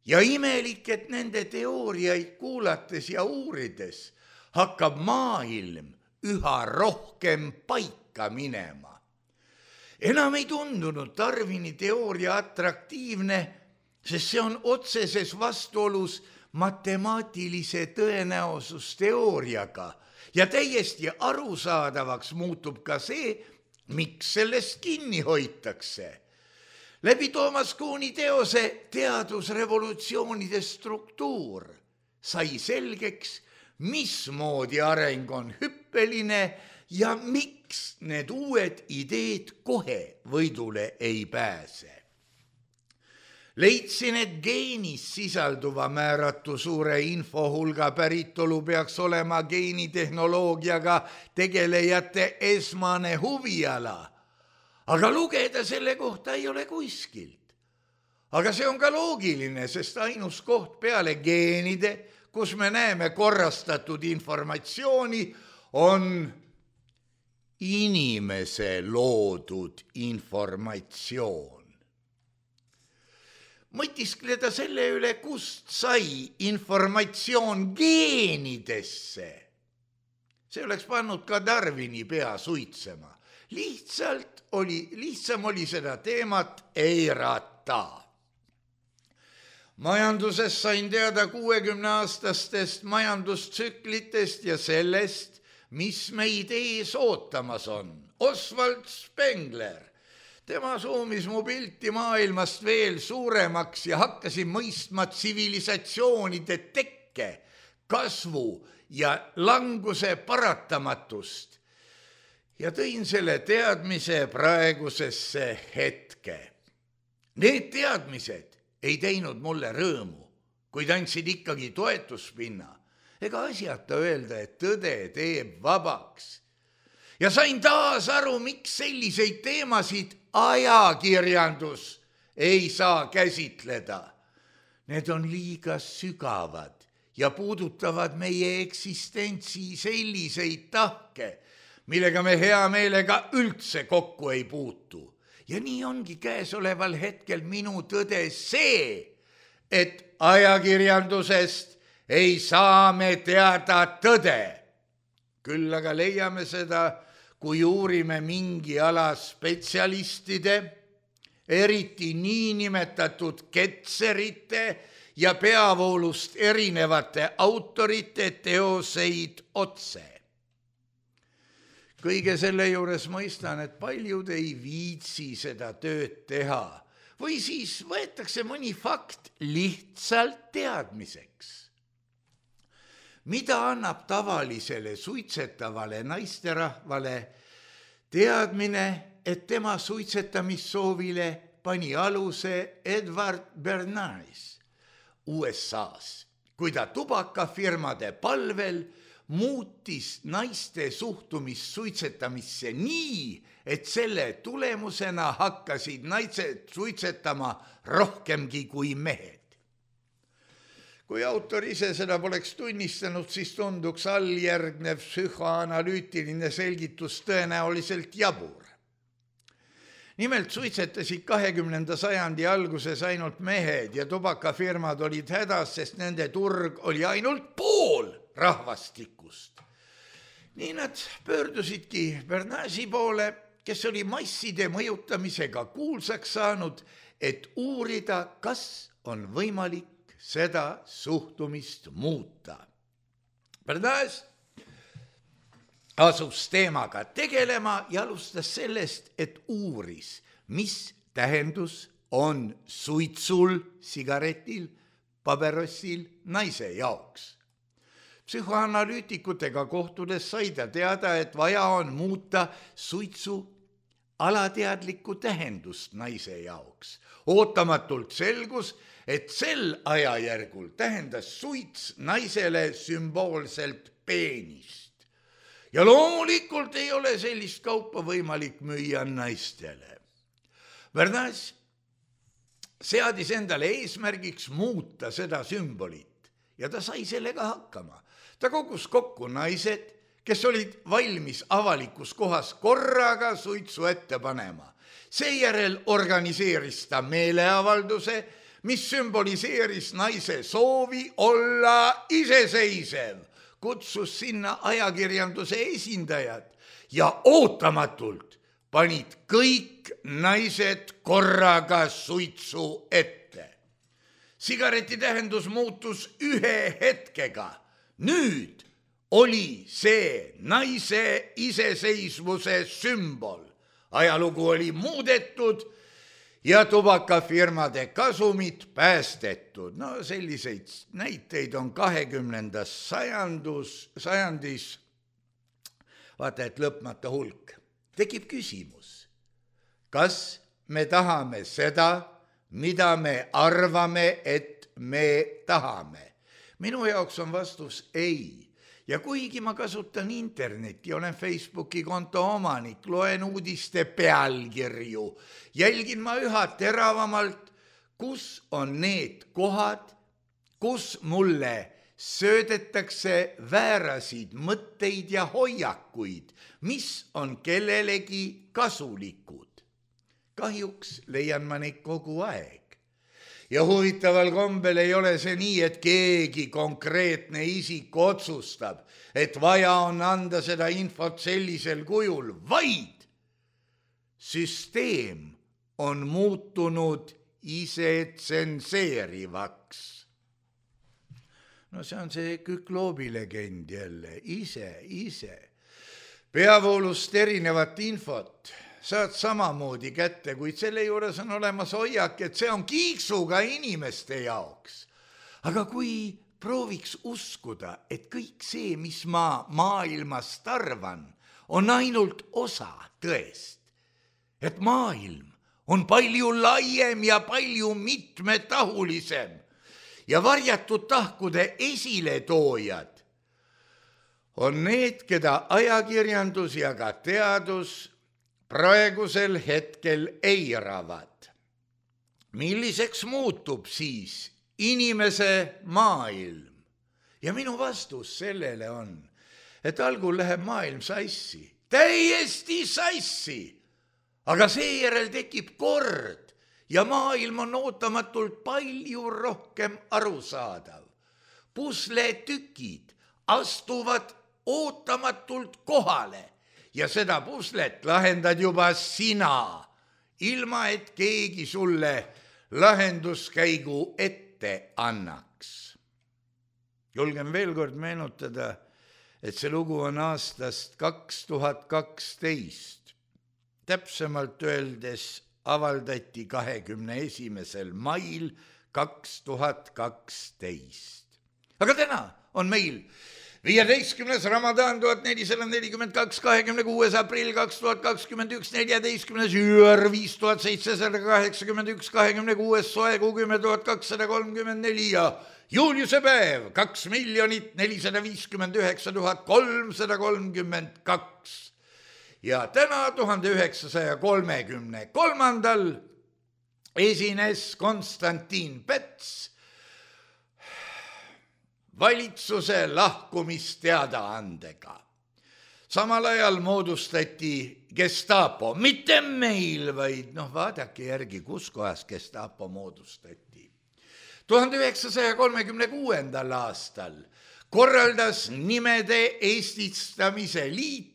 Ja imelik, et nende teooriaid kuulates ja uurides hakkab maailm üha rohkem paika minema. Enam ei tundunud Darwini teooria atraktiivne, sest see on otseses vastuolus matemaatilise tõenäosusteooriaga ja täiesti arusaadavaks muutub ka see, miks sellest kinni hoitakse. Läbi Toomas Kuhni teose teadusrevolutsioonide struktuur sai selgeks, mismoodi areng on hüppeline ja miks need uued ideed kohe võidule ei pääse. Leidsin, et geenis sisalduva määratu suure infohulga päritolu peaks olema geenitehnoloogiaga tegelejate esmane huviala, aga lugeda selle kohta ei ole kuskilt. Aga see on ka loogiline, sest ainus koht peale geenide, kus me näeme korrastatud informatsiooni, on inimese loodud informatsioon. Mõtiskleda selle üle, kust sai informatsioon geenidesse. See oleks pannud ka Darwini pea suitsema. Lihtsalt oli, lihtsam oli seda teemat eirata. Majanduses sain teada kuuekümne aastastest majandustsüklitest ja sellest, mis meid ees ootamas on. Oswald Spengler. Tema suumis mu pilti maailmast veel suuremaks ja hakkasin mõistma tsivilisatsioonide tekke, kasvu ja languse paratamatust. Ja tõin selle teadmise praegusesse hetke. Need teadmised ei teinud mulle rõõmu, kuid andsid ikkagi toetuspinna. Ega asjata öelda, et tõde teeb vabaks. Ja sain taas aru, miks selliseid teemasid ajakirjandus ei saa käsitleda. Need on liiga sügavad ja puudutavad meie eksistentsi selliseid tahke, millega me hea meelega üldse kokku ei puutu. Ja nii ongi käesoleval hetkel minu tõde see, et ajakirjandusest ei saa me teada tõde. Küll aga leiame seda, kui uurime mingi ala spetsialistide, eriti niinimetatud ketserite ja peavoolust erinevate autorite teoseid otse. Kõige selle juures mõistan, et paljud ei viitsi seda tööd teha või siis võetakse mõni fakt lihtsalt teadmiseks. Mida annab tavalisele suitsetavale naisterahvale teadmine, et tema suitsetamissoovile pani aluse Edward Bernays U S A-s, kui ta tubakafirmade palvel muutis naiste suhtumist suitsetamisse nii, et selle tulemusena hakkasid naised suitsetama rohkemgi kui mehed. Kui autor ise seda poleks tunnistanud, siis tunduks alljärgnev psühhoanalüütiline selgitus tõenäoliselt jabur. Nimelt suitsetasid kahekümnenda sajandi alguses ainult mehed ja tubakafirmad olid hädas, sest nende turg oli ainult pool rahvastikust. Nii nad pöördusidki Bernaysi poole, kes oli masside mõjutamisega kuulsaks saanud, et uurida, kas on võimalik seda suhtumist muuta. Bernays asus teemaga tegelema ja alustas sellest, et uuris, mis tähendus on suitsul, sigaretil, paberossil naise jaoks. Psühhoanalüütikutega kohtudes sai ta teada, et vaja on muuta suitsu alateadlikku tähendust naise jaoks. Ootamatult selgus, et sel ajajärgul tähendas suits naisele sümboolselt peenist. Ja loomulikult ei ole sellist kaupa võimalik müüa naistele. Bernays seadis endale eesmärgiks muuta seda sümbolit ja ta sai sellega hakkama. Ta kogus kokku naised, kes olid valmis avalikus kohas korraga suitsu ette panema. Seejärel organiseeris ta meeleavalduse, mis sümboliseeris naise soovi olla iseseisev, kutsus sinna ajakirjanduse esindajad ja ootamatult panid kõik naised korraga suitsu ette. Sigareti tähendus muutus ühe hetkega. Nüüd oli see naise iseseisvuse sümbol. Ajalugu oli muudetud ja tubakafirmade kasumid päästetud. No selliseid näiteid on kahekümnendas sajandus, sajandis, vaata et lõpmata hulk. Tekib küsimus, kas me tahame seda, mida me arvame, et me tahame? Minu jaoks on vastus ei. Ja kuigi ma kasutan internetti, olen Facebooki konto omanik, loen uudiste pealkirju, jälgin ma üha teravamalt, kus on need kohad, kus mulle söödetakse väärasid mõtteid ja hoiakuid, mis on kellelegi kasulikud. Kahjuks leian ma neid kogu aeg. Ja huvitaval kombel ei ole see nii, et keegi konkreetne isik otsustab, et vaja on anda seda infot sellisel kujul, vaid süsteem on muutunud ise tsenseerivaks. No see on see Kükloobi legend jälle, ise, ise. Peavoolust erinevat infot saad samamoodi kätte, kuid selle juures on olemas hoiak, et see on kiiksuga inimeste jaoks. Aga kui prooviks uskuda, et kõik see, mis ma maailmast arvan, on ainult osa tõest, et maailm on palju laiem ja palju mitmetahulisem ja varjatud tahkude esiletoojad on need, keda ajakirjandus ja ka teadus praegusel hetkel eiravad. Milliseks muutub siis inimese maailm? Ja minu vastus sellele on, et algul läheb maailm sassi, täiesti sassi, aga seejärel tekib kord ja maailm on ootamatult palju rohkem arusaadav. Pusletükid astuvad ootamatult kohale ja seda puslet lahendad juba sina, ilma et keegi sulle lahenduskäigu ette annaks. Julgen veel kord meenutada, et see lugu on aastast kaks tuhat kaksteist. Täpsemalt öeldes avaldati kahekümne esimesel mail kaks tuhat kaksteist. Aga täna on meil viieteistkümnes Ramadan tuhat nelisada nelikümmend kaks, kahekümne kuues aprill kaks tuhat kakskümmend üks, neljateistkümnes jüür viis tuhat seitsesada kaheksakümmend üks, kahekümne kuues soekuu kümme tuhat kakssada kolmkümmend neli ja juuliuse päev kaks miljonit nelisada viiskümmend üheksa tuhat kolmsada kolmkümmend kaks. Ja täna tuhande üheksasaja kolmekümne kolmandal esines Konstantin Päts valitsuse lahkumisteadaandega. Samal ajal moodustati Gestapo, mitte meil, vaid noh, vaadake järgi, kus kohas Gestapo moodustati. tuhande üheksasaja kolmekümne kuuendal aastal korraldas nimede eestistamise liit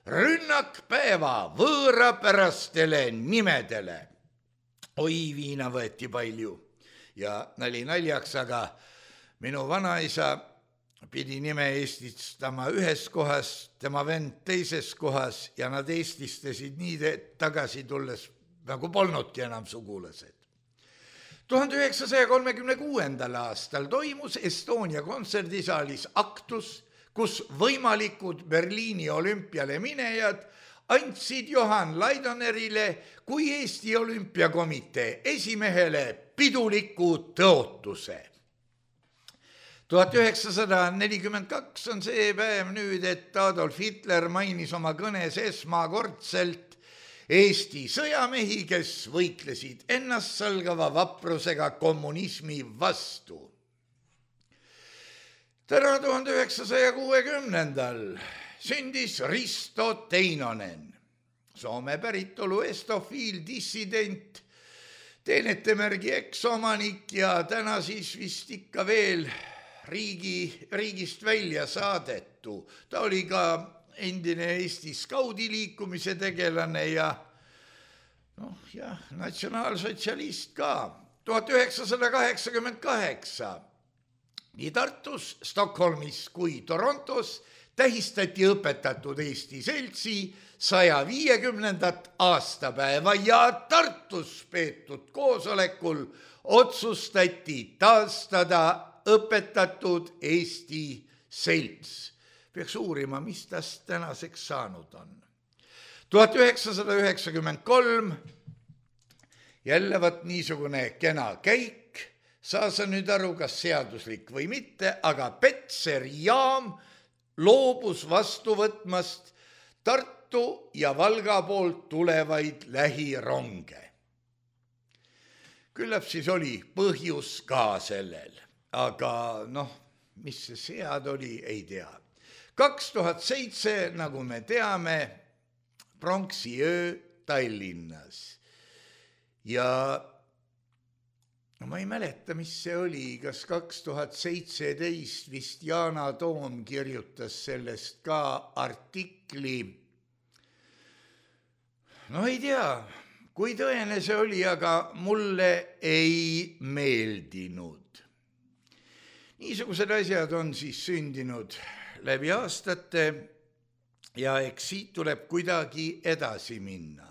rünnakpäeva võõrapärastele nimedele. Oi, viina võeti palju ja nali naljaks, aga minu vanaisa pidi nime eestistama ühes kohas, tema vend teises kohas ja nad eestistasid nii tagasi tulles, nagu polnudki enam sugulased. tuhande üheksasaja kolmekümne kuuendal aastal toimus Estonia kontserdisaalis aktus, kus võimalikud Berliini olümpiale minejad andsid Johan Laidonerile kui Eesti olümpiakomitee esimehele piduliku tõotuse. tuhat üheksasada nelikümmend kaks on see päev nüüd, et Adolf Hitler mainis oma kõnes esmakordselt Eesti sõjamehi, kes võitlesid ennastsalgava vaprusega kommunismi vastu. Täna tuhande üheksasaja kuuekümnendal sündis Risto Teinonen, Soome päritolu estofiil, dissident, teenetemärgi eksomanik ja täna siis vist ikka veel riigi, riigist välja saadetu. Ta oli ka endine Eesti skaudiliikumise tegelane ja noh, jah, natsionaalsotsialist ka. tuhat üheksasada kaheksakümmend kaheksa nii Tartus, Stockholmis kui Torontos tähistati õpetatud Eesti seltsi saja viiekümnendat aastapäeva ja Tartus peetud koosolekul otsustati taastada õpetatud Eesti selts. Peaks uurima, mis tast tänaseks saanud on. tuhat üheksasada üheksakümmend kolm jälle võt niisugune kena käik, saa sa nüüd aru, kas seaduslik või mitte, aga Petseri jaam loobus vastu võtmast Tartu ja Valga poolt tulevaid lähironge. Küllap siis oli põhjus ka sellel, aga noh, mis see sead oli, ei tea. kaks tuhat seitse, nagu me teame, pronksiöö Tallinnas. Ja no ma ei mäleta, mis see oli, kas kaks tuhat seitseteist vist Yana Toom kirjutas sellest ka artikli. No ei tea, kui tõene see oli, aga mulle ei meeldinud. Niisugused asjad on siis sündinud läbi aastate ja eks siit tuleb kuidagi edasi minna.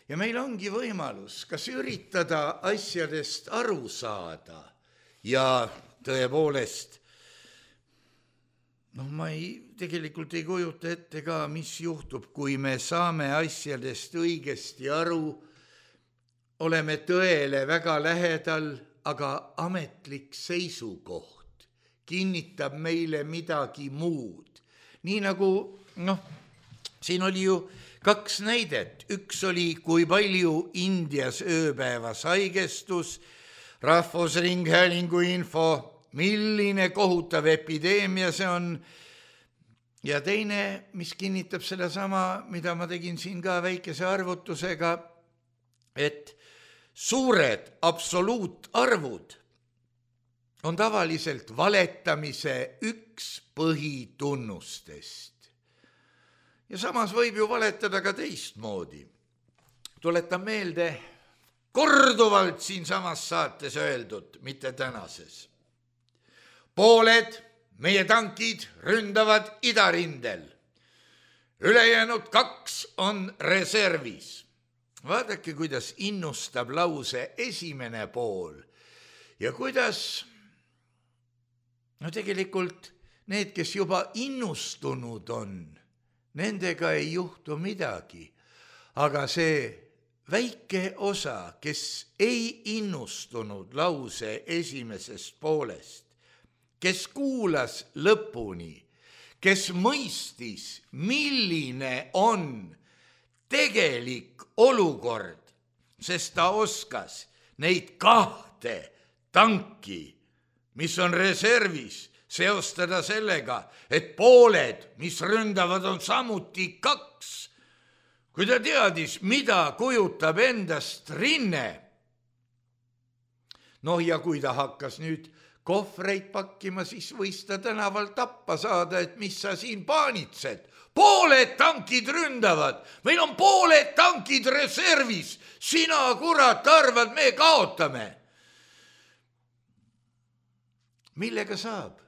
Ja meil ongi võimalus kas üritada asjadest aru saada ja tõepoolest, noh, ma ei, tegelikult ei kujuta ette ka, mis juhtub, kui me saame asjadest õigesti aru, oleme tõele väga lähedal, aga ametlik seisukoht kinnitab meile midagi muud. Nii nagu, noh, siin oli ju kaks näidet. Üks oli, kui palju Indias ööpäevas haigestus, Rahvusringhäälingu info, milline kohutav epideemia see on. Ja teine, mis kinnitab seda sama, mida ma tegin siin ka väikese arvutusega, et suured absoluutarvud on tavaliselt valetamise üks põhitunnustest. Ja samas võib ju valetada ka teistmoodi. Tuletan meelde korduvalt siin samas saates öeldud, mitte tänases. Pooled meie tankid ründavad idarindel. Ülejäänud kaks on reservis. Vaadake, kuidas innustab lause esimene pool ja kuidas, no tegelikult need, kes juba innustunud on, nendega ei juhtu midagi, aga see väike osa, kes ei innustunud lause esimesest poolest, kes kuulas lõpuni, kes mõistis, milline on tegelik olukord, sest ta oskas neid kahte tanki, mis on reservis, seostada sellega, et pooled, mis ründavad, on samuti kaks. Kui ta teadis, mida kujutab endast rinne. No ja kui ta hakkas nüüd kohvreid pakkima, siis võis ta tänaval tappa saada, et mis sa siin paanitsed. Pooled tankid ründavad, meil on pooled tankid reservis, sina kurat arvad, me kaotame. Millega saab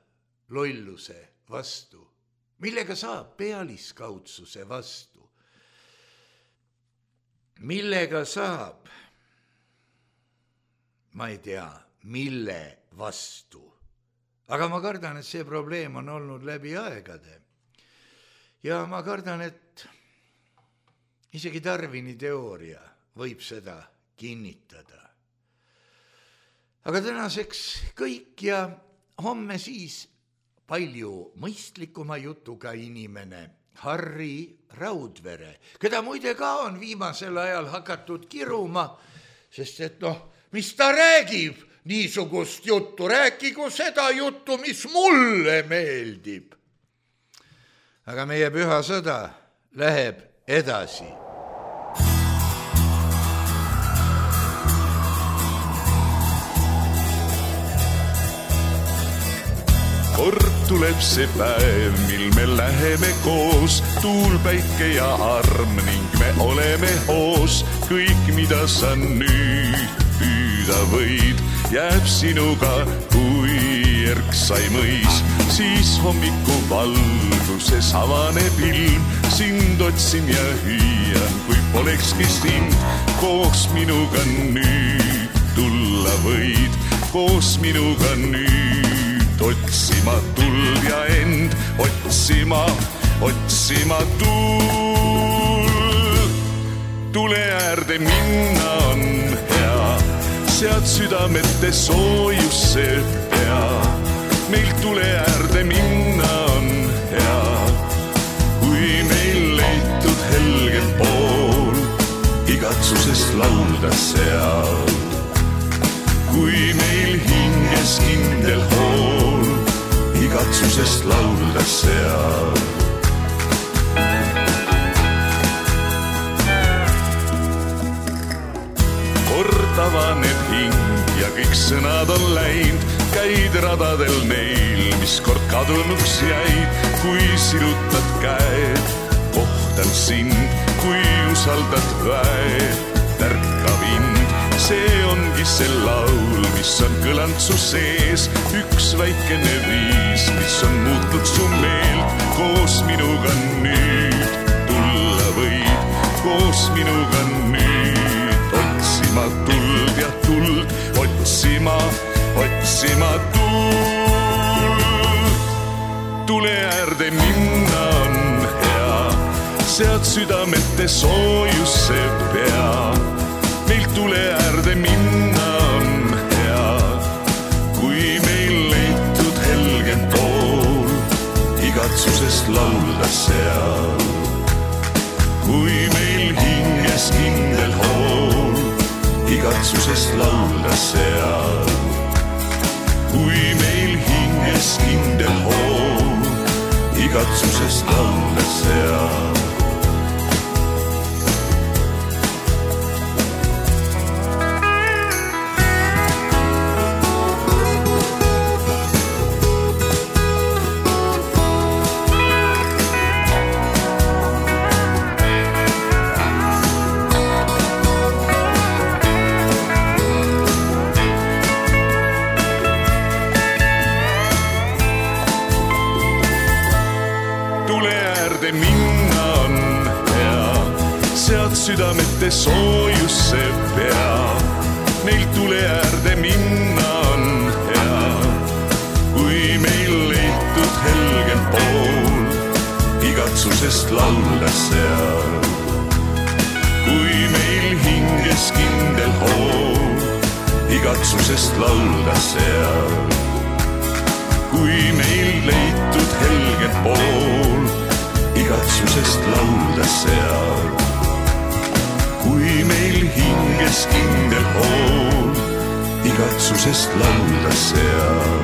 lolluse vastu? Millega saab pealiskaudsuse vastu? Millega saab, ma ei tea, mille vastu. Aga ma kardan, et see probleem on olnud läbi aegade. Ja ma kardan, et isegi Darwini teooria võib seda kinnitada. Aga tänaseks kõik ja homme siis palju mõistlikuma jutuga inimene Harri Raudvere, keda muide ka on viimasel ajal hakatud kiruma, sest et noh, mis ta räägib niisugust juttu, rääkigu seda juttu, mis mulle meeldib. Aga meie püha sõda läheb edasi. Kord tuleb see päev, mil me läheme koos, tuul, päike ja arm ning me oleme hoos. Kõik, mida sa nüüd püüda võid, jääb sinuga kui erksai mõis. Siis hommiku valguses avaneb ilm, sind otsin ja hüüan, kui polekski sind. Koos minuga nüüd tulla võid, koos minuga nüüd otsima tuld ja end, otsima, otsima tuld. Tule äärde minna on hea. sead südamete soojus see pea. Meil tule äärde minna on hea, kui meil leitud helgel pool igatsusest laulda seal. Kui meil hinges kindel hool igatsusest laulda seal. Kord avaneb hing ja kõik sõnad on läinud, käid radadel neil, mis kord kadunuks jäid. Kui sirutad käed, kohtan sind, kui usaldad väed, tärka vind. See ongi see laul, mis on kõlanud su sees, üks väikene viis, mis on muutnud su meelt. Koos minuga nüüd tulla võid, koos minuga nüüd otsima tuld ja tuld, otsima, otsima tuld. Tule äärde minna on hea, sead südamete soojus see pea. Meil tule äärde minna on hea, kui meil leitud helgem pool igatsusest laulda seal. Kui meil hinges kindel hool igatsusest laulda seal. Kui meil hinges kindel hool igatsusest laulda seal. Minna on hea, sead südamete soojus see pea. Meil tule äärde minna on hea, kui meil leitud helgem pool igatsusest laulda seal. Kui meil hinges kindel hool igatsusest laulda seal. Kui meil leitud helgem pool igatsusest laulda seal. Kui meil hinges kindel hool igatsusest laulda seal.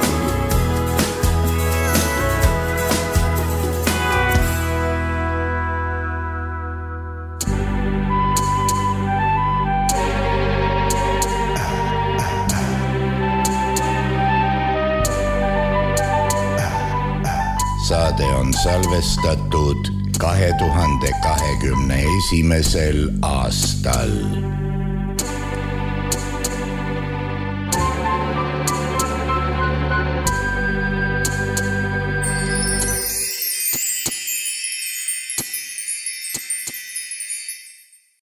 Saade on salvestatud kahe tuhande kahekümne esimesel aastal.